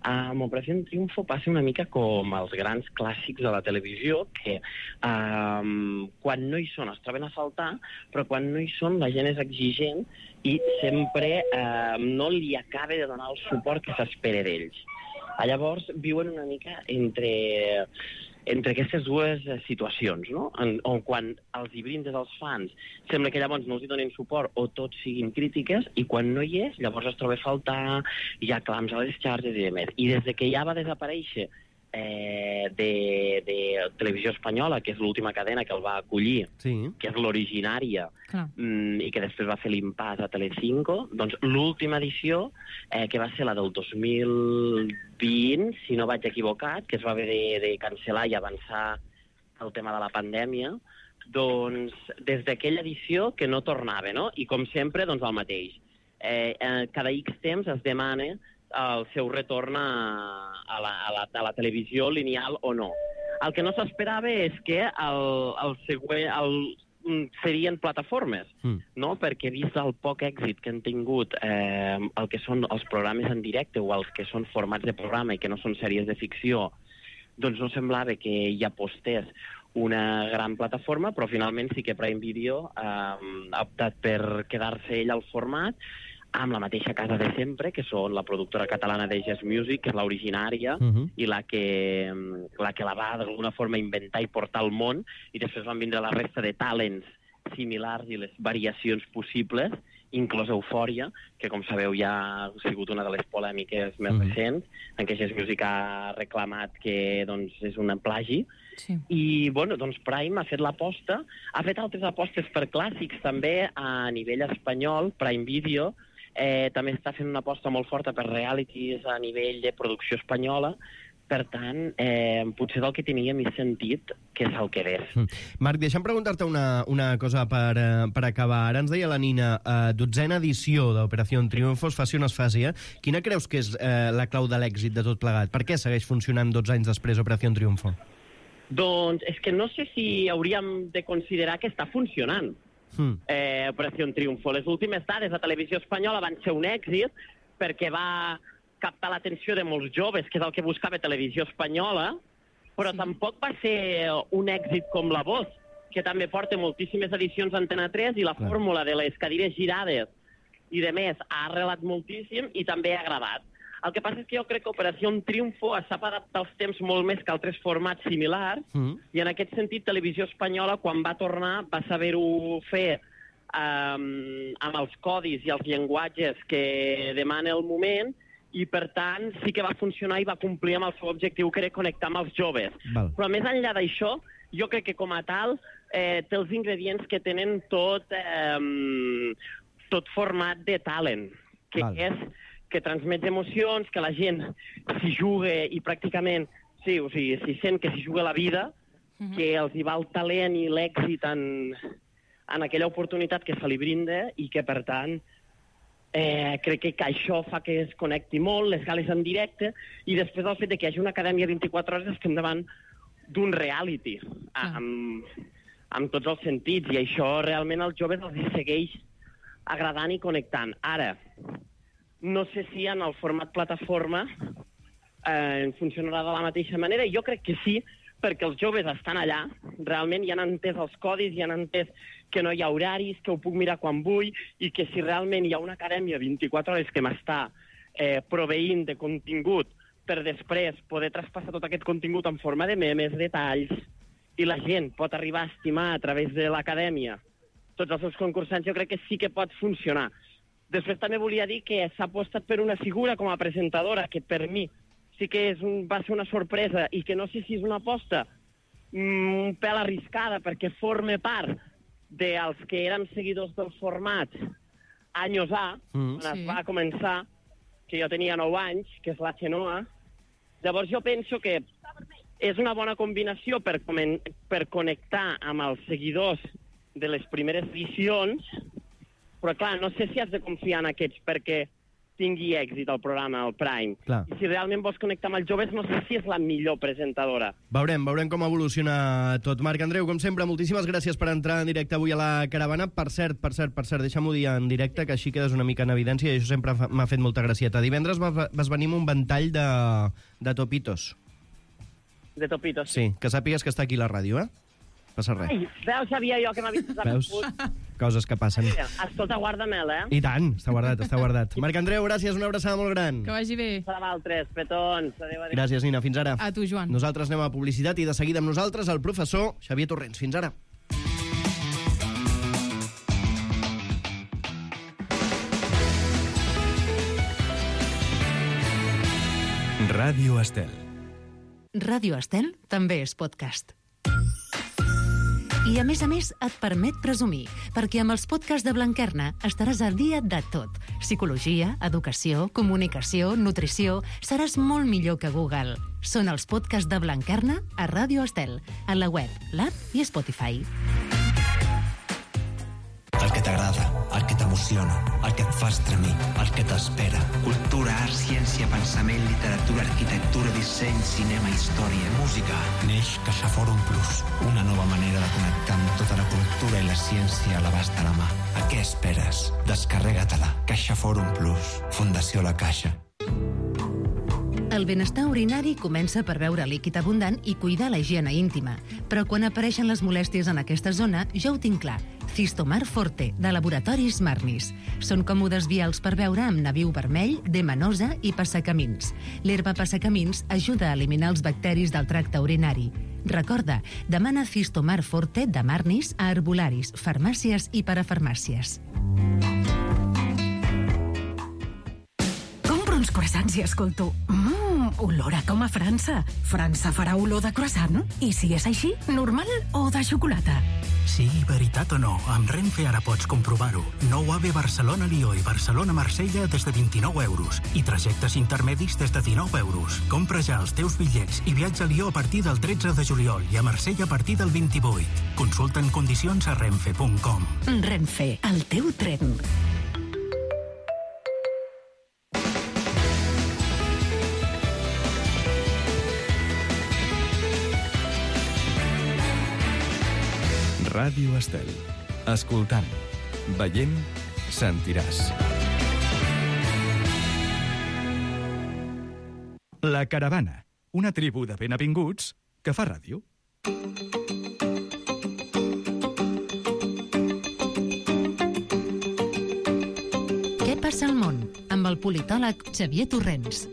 Amb Operació Triunfo passa una mica com els grans clàssics de la televisió, que eh, quan no hi són es troben a faltar, però quan no hi són la gent és exigent i sempre eh, no li acaba de donar el suport que s'espera d'ells. Llavors viuen una mica entre, entre aquestes dues eh, situacions, no? En, on quan els hi brindes als fans sembla que llavors no els hi donen suport o tots siguin crítiques, i quan no hi és, llavors es troba a faltar, hi ha clams a les xarxes i demés. I des de que ja va desaparèixer eh, de, de Televisió Espanyola, que és l'última cadena que el va acollir, sí. que és l'originària, Clar. mm, i que després va fer l'impàs a Telecinco, doncs l'última edició, eh, que va ser la del dos mil vint, si no vaig equivocat, que es va haver de, de cancel·lar i avançar el tema de la pandèmia, doncs des d'aquella edició que no tornava, no? I com sempre, doncs el mateix. Eh, eh, cada X temps es demana el seu retorn a, a, la, a, la, a la televisió lineal o no. El que no s'esperava és que el, el següent... El, serien plataformes, mm. no? Perquè vist el poc èxit que han tingut eh, el que són els programes en directe o els que són formats de programa i que no són sèries de ficció, doncs no semblava que hi apostés una gran plataforma, però finalment sí que Prime Video eh, ha optat per quedar-se ell al format, amb la mateixa casa de sempre, que són la productora catalana de Jazz Music, que és l'originària, uh-huh. i la que, la que la va d'alguna forma inventar i portar al món, i després van vindre la resta de talents similars i les variacions possibles, inclòs Eufòria, que com sabeu ja ha sigut una de les polèmiques més mm. recents, en què Jazz Music ha reclamat que doncs, és un plagi. Sí. I bueno, doncs Prime ha fet l'aposta, ha fet altres apostes per clàssics també a nivell espanyol. Prime Video eh, també està fent una aposta molt forta per realities a nivell de producció espanyola. Per tant, eh, potser del que tenia més sentit que és el que ves. Mm. Marc, deixa'm preguntar-te una, una cosa per, uh, per acabar. Ara ens deia la Nina, uh, dotzena edició d'Operació Triunfo, es faci o no es faci, eh? Quina creus que és uh, la clau de l'èxit de tot plegat? Per què segueix funcionant dotze anys després Operació Triunfo? Doncs és que no sé si hauríem de considerar que està funcionant. Mm. Eh, Operació Triunfo. Les últimes dades a Televisió Espanyola van ser un èxit perquè va captar l'atenció de molts joves, que és el que buscava Televisió Espanyola, però sí. tampoc va ser un èxit com La Voz, que també porta moltíssimes edicions a Antena tres i la Clar. fórmula de les cadires girades i de més ha arrelat moltíssim i també ha agradat. El que passa és que jo crec que Operació Triunfo sap adaptar els temps molt més que altres formats similars mm. i en aquest sentit Televisió Espanyola, quan va tornar, va saber-ho fer um, amb els codis i els llenguatges que demana el moment, i, per tant, sí que va funcionar i va complir amb el seu objectiu, que era connectar amb els joves. Val. Però, més enllà d'això, jo crec que, com a tal, eh, té els ingredients que tenen tot, eh, tot format de talent, que Val. és que transmet emocions, que la gent s'hi juga i pràcticament sí, o sigui, s'hi sent que s'hi juga la vida, uh-huh. que els hi va el talent i l'èxit en, en aquella oportunitat que se li brinda i que, per tant, Eh, crec que, que això fa que es connecti molt, les gales en directe, i després el fet de que hi hagi una acadèmia vint-i-quatre hores estem davant d'un reality, ah. amb, amb tots els sentits, i això realment als joves els segueix agradant i connectant. Ara, no sé si en el format plataforma eh, funcionarà de la mateixa manera, i jo crec que sí, perquè els joves estan allà, realment ja han entès els codis, ja han entès que no hi ha horaris, que ho puc mirar quan vull, i que si realment hi ha una acadèmia vint-i-quatre hores que m'està eh, proveint de contingut per després poder traspassar tot aquest contingut en forma de memes, detalls, i la gent pot arribar a estimar a través de l'acadèmia tots els seus concursants, jo crec que sí que pot funcionar. Després també volia dir que s'ha apostat per una figura com a presentadora que per mi sí que és un, va ser una sorpresa i que no sé si és una aposta mm, un pèl arriscada perquè forma part dels que érem seguidors del format anys A, mm, quan sí. es va començar, que jo tenia nou anys, que és la Xenoa. Llavors jo penso que és una bona combinació per, per connectar amb els seguidors de les primeres edicions, però clar, no sé si has de confiar en aquests perquè tingui èxit el programa, el Prime. Clar. I si realment vols connectar amb els joves, no sé si és la millor presentadora. Veurem, veurem com evoluciona tot. Marc Andreu, com sempre, moltíssimes gràcies per entrar en directe avui a la caravana. Per cert, per cert, per cert, deixa'm-ho dir en directe, que així quedes una mica en evidència, i això sempre m'ha fet molta gracieta. Divendres vas, vas venir amb un ventall de, de topitos. De topitos, sí. Sí, que sàpigues que està aquí la ràdio, eh? Passa res. Ai, veus, sabia jo que m'havies Veus? Coses que passen. Escolta, guarda-me'l, eh? I tant, està guardat, està guardat. Marc Andreu, gràcies, una abraçada molt gran. Que vagi bé. Per a vosaltres, petons. Adéu, adéu. Gràcies, Nina, fins ara. A tu, Joan. Nosaltres anem a publicitat i de seguida amb nosaltres el professor Xavier Torrents. Fins ara. Ràdio Estel. Ràdio Estel també és podcast. I a més a més et permet presumir, perquè amb els podcasts de Blanquerna estaràs al dia de tot. Psicologia, educació, comunicació, nutrició... Seràs molt millor que Google. Són els podcasts de Blanquerna a Ràdio Estel, a la web, l'app i Spotify. El que t'agrada, el que t'emociona, el que et fa estremir, el que t'espera. Cultura, art, ciència, pensament, literatura, arquitectura, disseny, cinema, història, música. Neix CaixaForum Plus, una nova manera de connectar amb tota la cultura i la ciència a l'abast de la mà. A què esperes? Descarrega-te-la. CaixaForum Plus, Fundació La Caixa. El benestar urinari comença per beure líquid abundant i cuidar la higiene íntima. Però quan apareixen les molèsties en aquesta zona, ja ho tinc clar. Cistomar Forte, de Laboratoris Marnis. Són còmodes vials per beure amb nabiu vermell, demanosa i passacamins. L'herba passacamins ajuda a eliminar els bacteris del tracte urinari. Recorda, demana Cistomar Forte de Marnis a herbolaris, farmàcies i parafarmàcies. Compro uns croissants i escolto Mmm, olor a com a França. França farà olor de croissant? I si és així, normal o de xocolata? Sí, veritat o no, amb Renfe ara pots comprovar-ho. Nou A V E Barcelona-Lió i Barcelona-Marsella des de vint-i-nou euros i trajectes intermedis des de dinou euros. Compra ja els teus bitllets i viatja a Lió a partir del tretze de juliol i a Marsella a partir del vint-i-vuit. Consulta en condicions a renfe punt com. Renfe, el teu tren. Ràdio Estel. Escoltant, veient, sentiràs. La Caravana, una tribu de benavinguts que fa ràdio. Què passa al món? Amb el politòleg Xavier Torrents.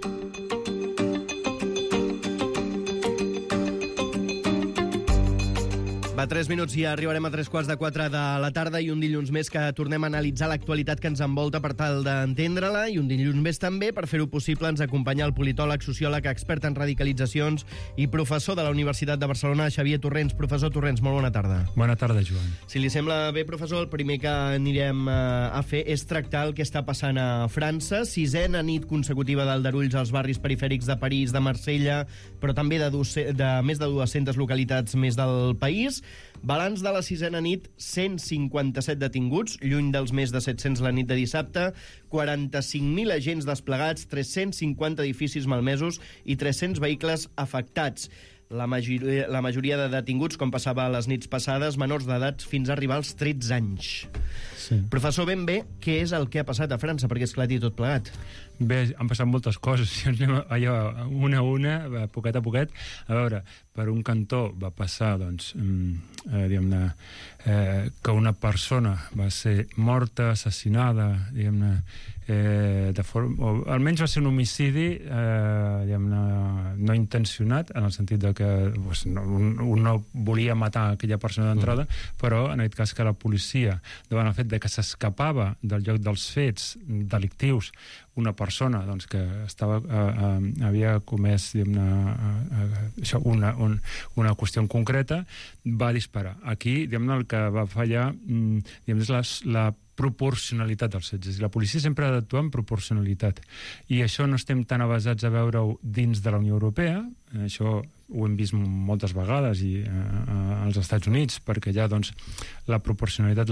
Va, tres minuts i arribarem a tres quarts de quatre de la tarda i un dilluns més que tornem a analitzar l'actualitat que ens envolta per tal d'entendre-la i un dilluns més també, per fer-ho possible, ens acompanya el politòleg, sociòleg, expert en radicalitzacions i professor de la Universitat de Barcelona, Xavier Torrents. Professor Torrents, molt bona tarda. Bona tarda, Joan. Si li sembla bé, professor, el primer que anirem a fer és tractar el que està passant a França. Sisena nit consecutiva d'aldarulls als barris perifèrics de París, de Marsella, però també de, de més de dues-centes localitats més del país. Balanç de la sisena nit, cent cinquanta-set detinguts, lluny dels més de set-cents la nit de dissabte, quaranta-cinc mil agents desplegats, tres-cents cinquanta edificis malmesos i tres-cents vehicles afectats. La majoria, la majoria de detinguts, com passava a les nits passades, menors d'edat fins a arribar als tretze anys. Sí. Professor, ben bé, què és el que ha passat a França perquè esclati tot plegat? Bé, han passat moltes coses. Si ens anem allò, una a una, poquet a poquet. A veure, per un cantó va passar, doncs, eh, diguem-ne, eh, que una persona va ser morta, assassinada, diguem-ne, eh, de forma, o almenys va ser un homicidi, eh, diguem-ne, no intencionat, en el sentit de que pues, no, un, un no volia matar aquella persona d'entrada, mm. però en aquest cas que la policia, davant el fet de que s'escapava del lloc dels fets delictius una persona doncs, que estava, eh, eh, havia comès diguem-ne, eh, això, una, un, una qüestió concreta, va disparar. Aquí diguem-ne, el que va fallar diguem-ne, és la, la proporcionalitat dels fets. La policia sempre ha d'actuar amb proporcionalitat. I això no estem tan avasats a veure-ho dins de la Unió Europea. Això ho hem vist moltes vegades i, eh, als Estats Units, perquè ja doncs, la proporcionalitat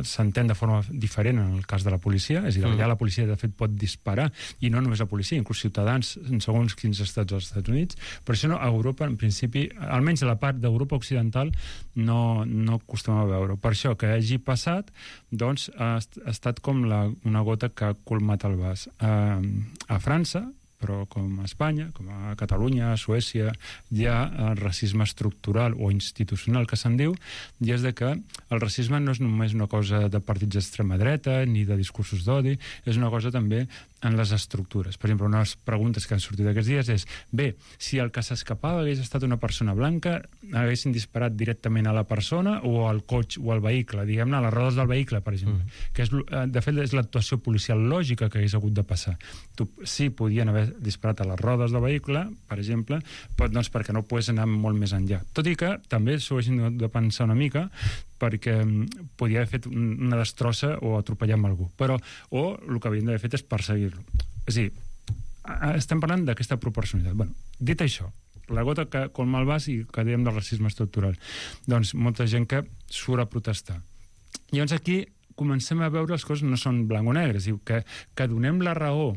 s'entén de forma diferent en el cas de la policia. És a dir, mm. ja la policia de fet pot disparar, i no només la policia, inclús ciutadans en segons quins estats dels Estats Units. Per això no, a Europa, en principi, almenys a la part d'Europa occidental, no, no acostumem a veure. Per això que hagi passat, doncs, ha, ha estat com la, una gota que ha colmat el vas. Uh, a França, però com a Espanya, com a Catalunya, a Suècia, hi ha el racisme estructural o institucional que se'n diu, i és de que el racisme no és només una cosa de partits d'extrema dreta ni de discursos d'odi, és una cosa també en les estructures. Per exemple, una de les preguntes que han sortit aquests dies és, bé, si el que s'escapava hagués estat una persona blanca, haguessin disparat directament a la persona o al cotxe o al vehicle, diguem-ne, a les rodes del vehicle, per exemple, mm. que és, de fet és l'actuació policial lògica que hagués hagut de passar. Tu, sí, podien haver disparat a les rodes del vehicle, per exemple, però, doncs, perquè no pogués anar molt més enllà. Tot i que també s'ho haguessin de pensar una mica, perquè podia haver fet una destrossa o atropellar amb algú. Però, o el que havien d'haver fet és perseguir-lo. És a dir, estem parlant d'aquesta proporcionalitat. Bueno, dit això, la gota que colma el vas i que dèiem del racisme estructural, doncs molta gent que surt a protestar. Llavors aquí comencem a veure les coses no són blanc o negre, és a dir, que, que donem la raó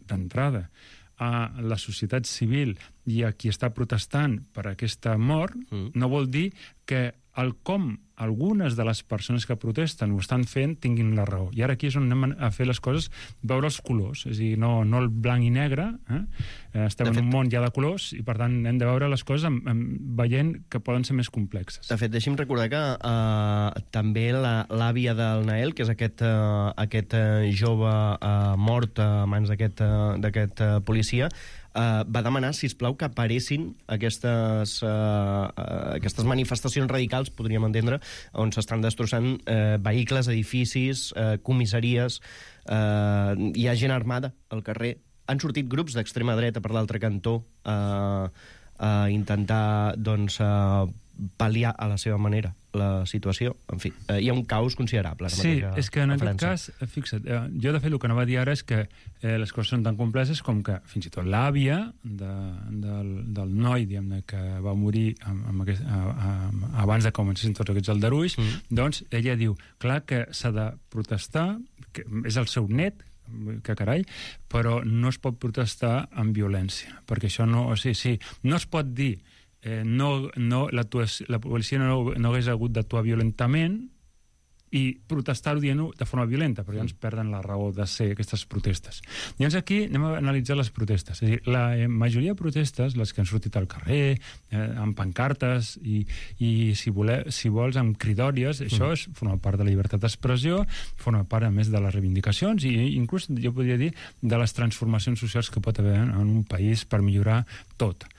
d'entrada a la societat civil i a qui està protestant per aquesta mort, mm. no vol dir que el com algunes de les persones que protesten ho estan fent tinguin la raó. I ara aquí és on anem a fer les coses, veure els colors, és a dir, no, no el blanc i negre, eh? Estem en un món ja de colors i per tant hem de veure les coses amb, amb, veient que poden ser més complexes. De fet, deixi'm recordar que uh, també l'àvia del Nael, que és aquest, uh, aquest uh, jove uh, mort a mans d'aquest uh, policia, Uh, va demanar, sisplau, que aparessin aquestes, uh, uh, aquestes manifestacions radicals, podríem entendre, on s'estan destrossant uh, vehicles, edificis, uh, comissaries, uh, hi ha gent armada al carrer. Han sortit grups d'extrema dreta per l'altre cantó uh, a intentar, doncs, uh, pal·liar a la seva manera la situació. En fi, eh, hi ha un caos considerable. Sí, és que en aquest cas, fixa't, eh, jo de fet el que anava a dir ara és que eh, les coses són tan complexes com que fins i tot l'àvia de, del, del noi, diguem-ne, que va morir amb, amb aquest, a, a, abans de comencessin tots aquests aldarulls, mm. doncs ella diu, clar que s'ha de protestar, que és el seu net, que carai, però no es pot protestar amb violència, perquè això no, o sigui, sí, no es pot dir Eh, no, no, la, la policia no, no hagués hagut d'actuar violentament i protestar-ho dient de forma violenta, perquè llavors perden la raó de ser aquestes protestes. Llavors aquí anem a analitzar les protestes. És a dir, la majoria de protestes, les que han sortit al carrer, eh, amb pancartes i, i si, voler, si vols, amb cridòries, això és, forma part de la llibertat d'expressió, forma part, a més, de les reivindicacions i inclús, jo podria dir, de les transformacions socials que pot haver en un país per millorar tot.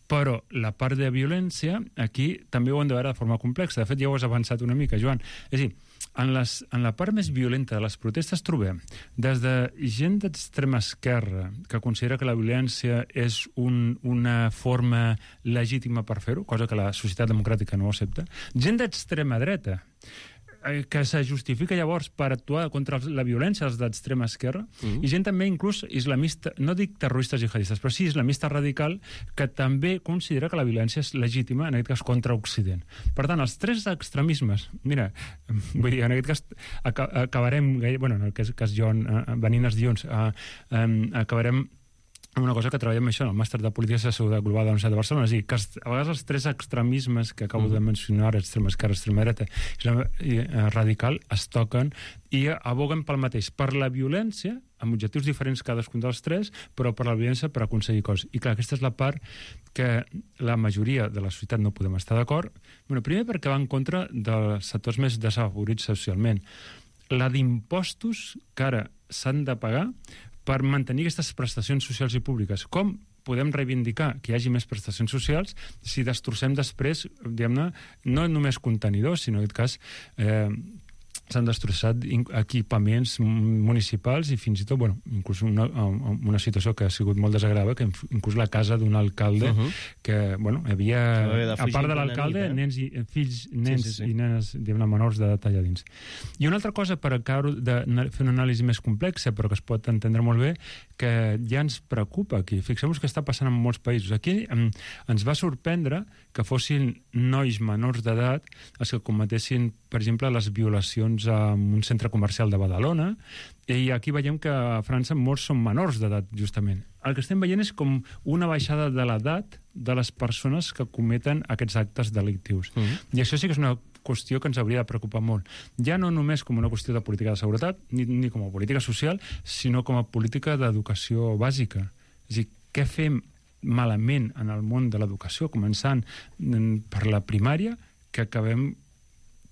Però la part de violència, aquí també ho hem de veure de forma complexa. De fet, ja ho has avançat una mica, Joan. És a dir, en, les, en la part més violenta de les protestes trobem des de gent d'extrema esquerra que considera que la violència és un, una forma legítima per fer-ho, cosa que la societat democràtica no accepta, gent d'extrema dreta, que se justifica llavors per actuar contra la violència dels d'extrema esquerra, mm. i gent també inclús islamista, no dic terroristes jihadistes, però sí islamista radical, que també considera que la violència és legítima, en aquest cas contra Occident. Per tant, els tres extremismes, mira, vull dir, en aquest cas acabarem, bueno, en el cas, cas Joan, venint els dilluns, acabarem una cosa que treballem això en el màster de Política de Seguretat Global de la Universitat de Barcelona, és a dir, que a vegades els tres extremismes que acabo de mencionar, extrema esquerra, extrema dreta i radical, es toquen i aboguen pel mateix, per la violència, amb objectius diferents cadascun dels tres, però per la violència per aconseguir coses. I clar, aquesta és la part que la majoria de la societat no podem estar d'acord. Bueno, primer perquè va en contra dels sectors més desafavorits socialment. La d'impostos que ara s'han de pagar per mantenir aquestes prestacions socials i públiques. Com podem reivindicar que hi hagi més prestacions socials si destrossem després, diguem-ne, no només contenidors, sinó en aquest cas eh, s'han destrossat equipaments municipals i fins i tot, bueno, inclús una, una situació que ha sigut molt desagradable, que inclús la casa d'un alcalde, uh -huh. que, bueno, hi havia, a part de l'alcalde, eh? nens i fills, nens sí, sí, sí. i nenes, diguem-ne, menors d'edat allà dins. I una altra cosa, per acabar de fer una anàlisi més complexa, però que es pot entendre molt bé, que ja ens preocupa aquí. Fixem-vos que està passant en molts països. Aquí ens va sorprendre que fossin nois menors d'edat els que cometessin, per exemple, les violacions en un centre comercial de Badalona, i aquí veiem que a França molts són menors d'edat, justament. El que estem veient és com una baixada de l'edat de les persones que cometen aquests actes delictius. Mm-hmm. I això sí que és una qüestió que ens hauria de preocupar molt. Ja no només com una qüestió de política de seguretat, ni, ni com a política social, sinó com a política d'educació bàsica. És a dir, què fem malament en el món de l'educació, començant per la primària, que acabem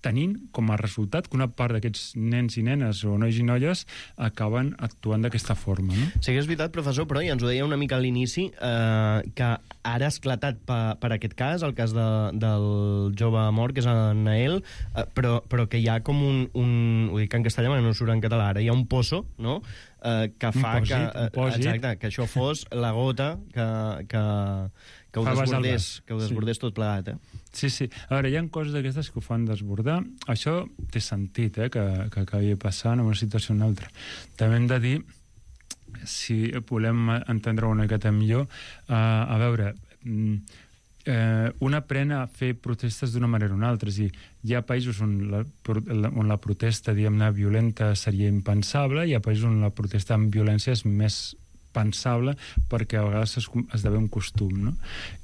tenint com a resultat que una part d'aquests nens i nenes o nois i noies acaben actuant d'aquesta forma. No? Sí que és veritat, professor, però ja ens ho deia una mica a l'inici, eh, que ara ha esclatat per, per aquest cas, el cas de, del jove mort, que és en Nael, eh, però, però que hi ha com un, un... Ho dic en castellà, però no surt en català. Ara hi ha un pozo, no?, eh, que fa un pòsit, que... Un pòsit. Exacte, que això fos la gota que... que que ho desbordés, que ho desbordés sí. tot plegat, eh? Sí, sí. A veure, hi ha coses d'aquestes que ho fan desbordar. Això té sentit, eh, que, que acabi passant en una situació o una altra. També hem de dir, si volem entendre una miqueta millor, eh, a veure, eh, un aprèn a fer protestes d'una manera o una altra. És a dir, hi ha països on la, on la protesta, diguem-ne, violenta seria impensable, hi ha països on la protesta amb violència és més pensable perquè a vegades es, esdevé un costum, no?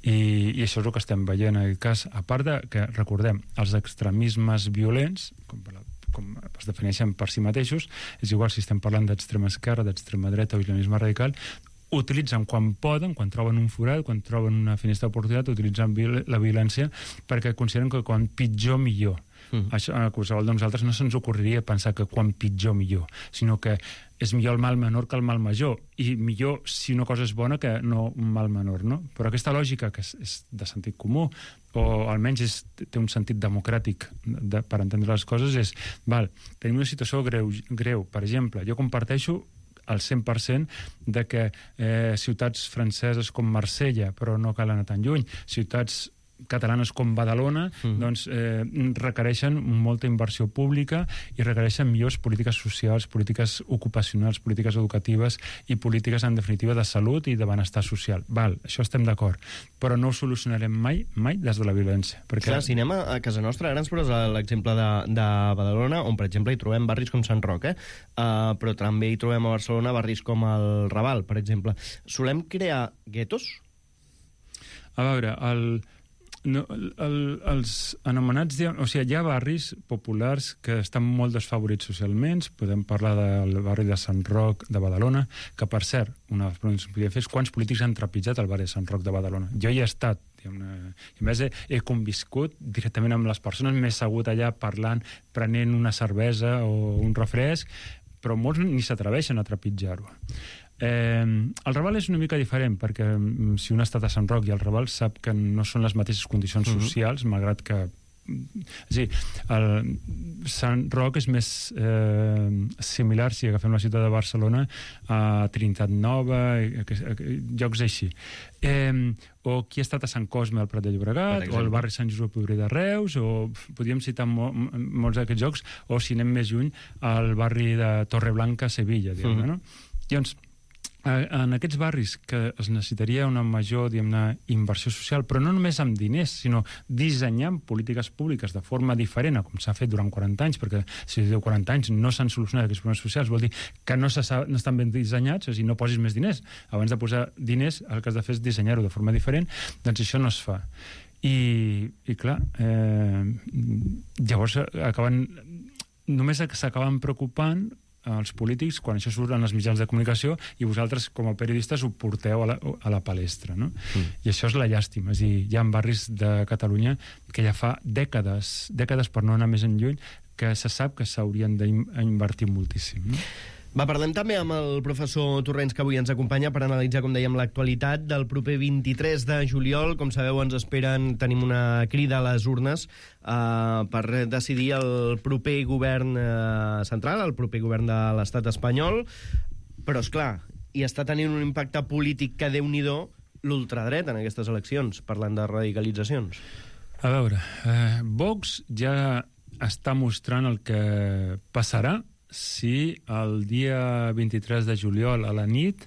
I, i això és el que estem veient en aquest cas, a part de que, recordem, els extremismes violents, com, com es defineixen per si mateixos, és igual si estem parlant d'extrema esquerra, d'extrema dreta o islamisme radical, utilitzen quan poden, quan troben un forat, quan troben una finestra d'oportunitat, utilitzen la violència perquè consideren que quan pitjor, millor. Mm. Això, a qualsevol de nosaltres no se'ns ocorreria pensar que quan pitjor, millor, sinó que és millor el mal menor que el mal major, i millor si una cosa és bona que no un mal menor, no? Però aquesta lògica, que és, és de sentit comú, o almenys és, té un sentit democràtic de, per entendre les coses, és, val, tenim una situació greu, greu. Per exemple, jo comparteixo al cent per cent de que eh, ciutats franceses com Marsella, però no cal anar tan lluny, ciutats catalanes com Badalona, mm. doncs eh, requereixen molta inversió pública i requereixen millors polítiques socials, polítiques ocupacionals, polítiques educatives i polítiques, en definitiva, de salut i de benestar social. Val, això estem d'acord, però no ho solucionarem mai, mai des de la violència. Perquè... Clar, si anem a, a casa nostra, ara ens poses l'exemple de, de Badalona, on, per exemple, hi trobem barris com Sant Roc, eh? Uh, però també hi trobem a Barcelona barris com el Raval, per exemple. Solem crear guetos? A veure, el... No, el, el, els anomenats... O sigui, hi ha barris populars que estan molt desfavorits socialment. Podem parlar del barri de Sant Roc de Badalona, que, per cert, una de les preguntes que podria fer és quants polítics han trepitjat el barri de Sant Roc de Badalona. Jo hi he estat, diguem-ne, i a més he, he conviscut directament amb les persones, m'he assegut allà parlant, prenent una cervesa o un refresc, però molts ni s'atreveixen a trepitjar-ho. Eh, el Raval és una mica diferent, perquè si un ha estat a Sant Roc i el Raval sap que no són les mateixes condicions uh-huh. socials, malgrat que... És a dir, el Sant Roc és més eh, similar, si agafem la ciutat de Barcelona, a Trinitat Nova, a, a, a llocs així. Eh, o qui ha estat a Sant Cosme al Prat de Llobregat, o al barri Sant Josep Obrer de Reus, o podríem citar mo molts d'aquests llocs, o si anem més lluny, al barri de Torreblanca a Sevilla, diguem-ne, uh-huh. no? Llavors, en aquests barris que es necessitaria una major, diguem-ne, inversió social, però no només amb diners, sinó dissenyant polítiques públiques de forma diferent, com s'ha fet durant quaranta anys, perquè si diu quaranta anys no s'han solucionat aquests problemes socials, vol dir que no, no estan ben dissenyats, és a dir, no posis més diners. Abans de posar diners, el que has de fer és dissenyar-ho de forma diferent, doncs això no es fa. I, i clar, eh, llavors acaben, només s'acaben preocupant els polítics quan això surt en els mitjans de comunicació i vosaltres, com a periodistes, ho porteu a la, a la palestra, no? Mm. I això és la llàstima. És a dir, hi ha barris de Catalunya que ja fa dècades, dècades per no anar més enlluny, que se sap que s'haurien d'invertir moltíssim, no? Va, parlem també amb el professor Torrents, que avui ens acompanya per analitzar, com dèiem, l'actualitat del proper vint-i-tres de juliol. Com sabeu, ens esperen, tenim una crida a les urnes eh, per decidir el proper govern eh, central, el proper govern de l'estat espanyol. Però, és clar, hi està tenint un impacte polític que, Déu-n'hi-do, l'ultradreta en aquestes eleccions, parlant de radicalitzacions. A veure, eh, Vox ja està mostrant el que passarà si el dia vint-i-tres de juliol a la nit,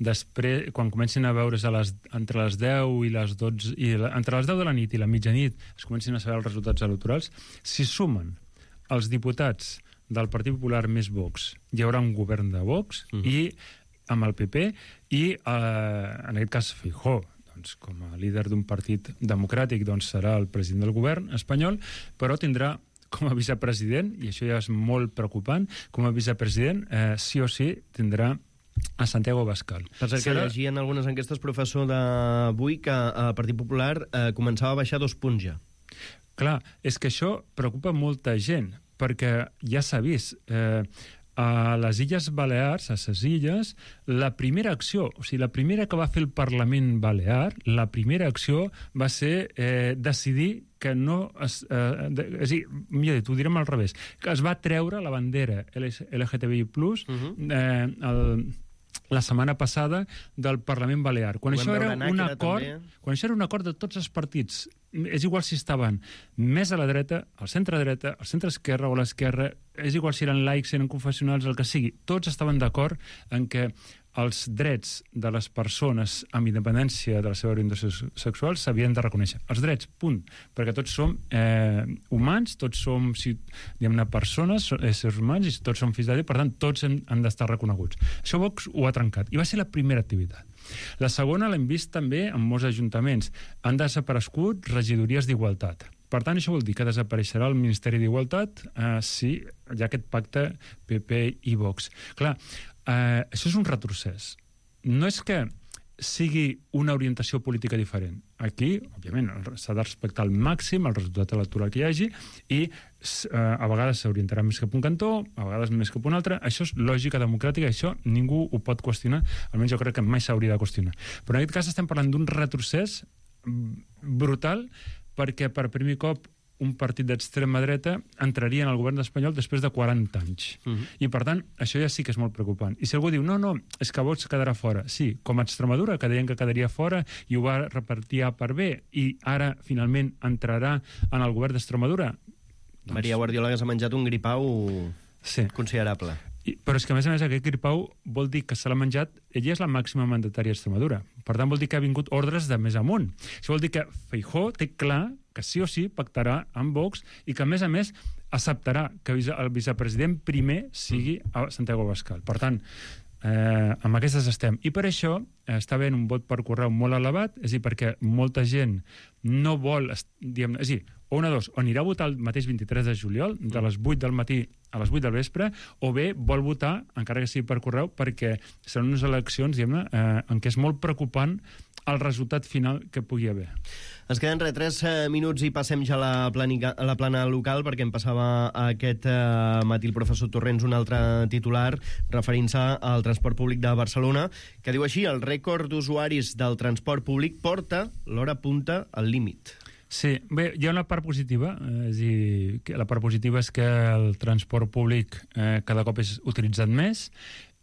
després, quan comencin a veure's a les, entre les deu i les dotze, i la, entre les deu de la nit i la mitjanit es comencin a saber els resultats electorals, si sumen els diputats del Partit Popular més Vox, hi haurà un govern de Vox, mm. i amb el P P, i eh, en aquest cas Feijóo, doncs, com a líder d'un partit democràtic, doncs serà el president del govern espanyol, però tindrà com a vicepresident, i això ja és molt preocupant, com a vicepresident, eh, sí o sí tindrà a Santiago Abascal. Per cert, que Serà... llegia en algunes enquestes, professor, d'avui, que el Partit Popular eh, començava a baixar dos punts ja. Clar, és que això preocupa molta gent, perquè ja s'ha vist... Eh, a les Illes Balears, a ses illes, la primera acció, o sigui, la primera que va fer el Parlament Balear, la primera acció va ser eh, decidir que no... Es, eh, de, és a dir, millor dit, ho direm al revés, que es va treure la bandera L G T B I plus, uh-huh. eh, el, la setmana passada del Parlament Balear. Quan això era un acord, també. Quan això era un acord de tots els partits, és igual si estaven més a la dreta, al centre-dreta, al centre-esquerra o a l'esquerra, és igual si eren laics, eren confessionals, el que sigui, tots estaven d'acord en que els drets de les persones amb independència de la seva orientació sexual s'havien de reconèixer. Els drets, punt. Perquè tots som eh, humans, tots som, si, diguem-ne, persones, éssers humans, i tots som fills de Déu, per tant, tots han, han d'estar reconeguts. Això Vox ho ha trencat, i va ser la primera activitat. La segona l'hem vist també en molts ajuntaments. Han desaparegut regidories d'igualtat. Per tant, això vol dir que desapareixerà el Ministeri d'Igualtat eh, si hi ha aquest pacte P P i Vox. Clar, eh, això és un retrocés. No és que sigui una orientació política diferent. Aquí, òbviament, s'ha de respectar al màxim el resultat electoral que hi hagi i eh, a vegades s'orientarà més cap a un cantó, a vegades més cap a un altre. Això és lògica democràtica, això ningú ho pot qüestionar, almenys jo crec que mai s'hauria de qüestionar. Però en aquest cas estem parlant d'un retrocés brutal perquè per primer cop un partit d'extrema dreta entraria en el govern espanyol després de quaranta anys. Uh-huh. I, per tant, això ja sí que és molt preocupant. I si algú diu, no, no, és que Vox quedarà fora. Sí, com a Extremadura, que deien que quedaria fora i ho va repartir A per B, i ara, finalment, entrarà en el govern d'Extremadura. Doncs... Maria Guardiola que s'ha menjat un gripau sí. considerable. I, però és que, a més a més, aquest gripau vol dir que se l'ha menjat... Ella és la màxima mandatària d'Extremadura. Per tant, vol dir que ha vingut ordres de més amunt. Això vol dir que Feijóo té clar que sí o sí pactarà amb Vox i que, a més a més, acceptarà que el vicepresident primer sigui a Santiago Abascal. Per tant, eh, amb aquestes estem. I per això eh, està havent un vot per correu molt elevat, és a dir, perquè molta gent no vol... Diguem, és a dir, o una dos, o anirà a votar el mateix vint-i-tres de juliol, de les vuit del matí a les vuit del vespre, o bé vol votar, encara que sigui per correu, perquè seran unes eleccions, diguem-ne, eh, en què és molt preocupant el resultat final que pugui haver. Ens queden re, tres minuts i passem ja a la, planica, a la plana local, perquè em passava aquest eh, matí el professor Torrents un altre titular referint-se al transport públic de Barcelona, que diu així, el rècord d'usuaris del transport públic porta l'hora punta al límit. Sí, bé, hi ha una part positiva, eh, és a dir, que la part positiva és que el transport públic eh, cada cop és utilitzat més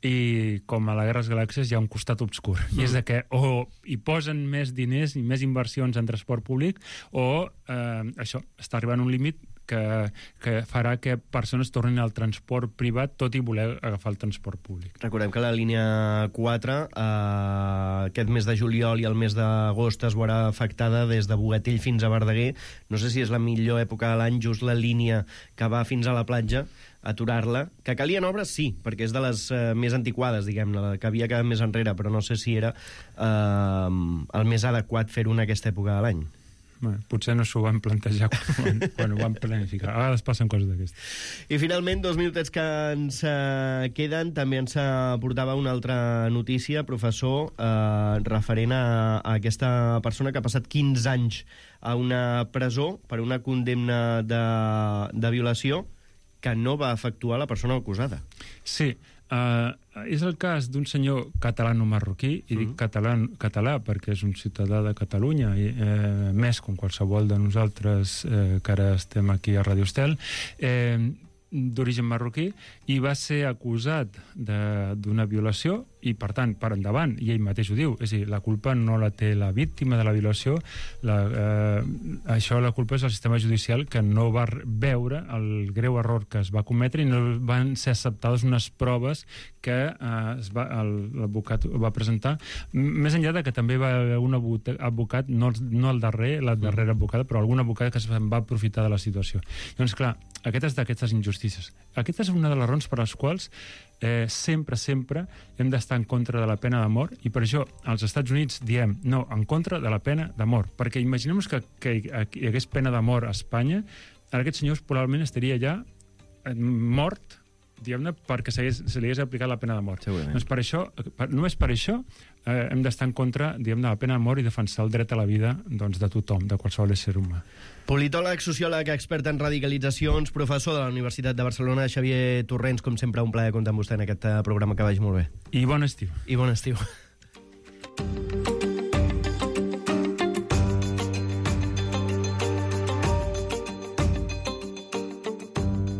i com a la Guerra de les Galàxies hi ha un costat obscur, mm. i és de que o hi posen més diners i més inversions en transport públic o eh, això, està arribant a un límit que, que farà que persones tornin al transport privat tot i voler agafar el transport públic. Recordem que la línia quatre eh, aquest mes de juliol i el mes d'agost es veurà afectada des de Bogatell fins a Verdaguer. No sé si és la millor època de l'any, just la línia que va fins a la platja, aturar-la. Que calien obres, sí, perquè és de les eh, més antiquades, diguem-ne, la que havia quedat més enrere, però no sé si era eh, el més adequat fer-ho en aquesta època de l'any. Bueno, potser no s'ho van plantejar quan, quan ho van planificar. A vegades passen coses d'aquestes. I finalment, dos minutets que ens eh, queden, també ens portava una altra notícia, professor, eh, referent a, a aquesta persona que ha passat quinze anys a una presó per una condemna de, de violació que no va efectuar la persona acusada. Sí, Uh, és el cas d'un senyor catalano-marroquí, i dic mm. català, català perquè és un ciutadà de Catalunya, i, eh, més com qualsevol de nosaltres eh, que ara estem aquí a Radio Estel, eh, d'origen marroquí, i va ser acusat d'una violació, i per tant, per endavant, i ell mateix ho diu, és a dir, la culpa no la té la víctima de la violació, la, eh, això la culpa és el sistema judicial que no va veure el greu error que es va cometre i no van ser acceptades unes proves que eh, l'advocat va presentar, més enllà de que també va haver un advocat, no, no el darrer, la darrera advocada, però algun advocat que es va aprofitar de la situació. Doncs clar, aquestes d'aquestes injustícies. Aquesta és una de les raons per les quals eh, sempre, sempre hem d'estar en contra de la pena de mort, i per això als Estats Units diem no, en contra de la pena de mort, perquè imaginem que, que hi hagués pena de mort a Espanya, ara aquest senyor probablement estaria ja mort, diguem-ne, perquè se li hagués aplicat la pena de mort. Doncs per això, per, només per això eh, hem d'estar en contra, diguem-ne, de la pena de mort i defensar el dret a la vida, doncs, de tothom, de qualsevol ésser humà. Politòleg, sociòleg, expert en radicalitzacions, professor de la Universitat de Barcelona, Xavier Torrents, com sempre, un plaer comptar amb vostè en aquest programa, que vagi molt bé. I bon estiu. I bon estiu.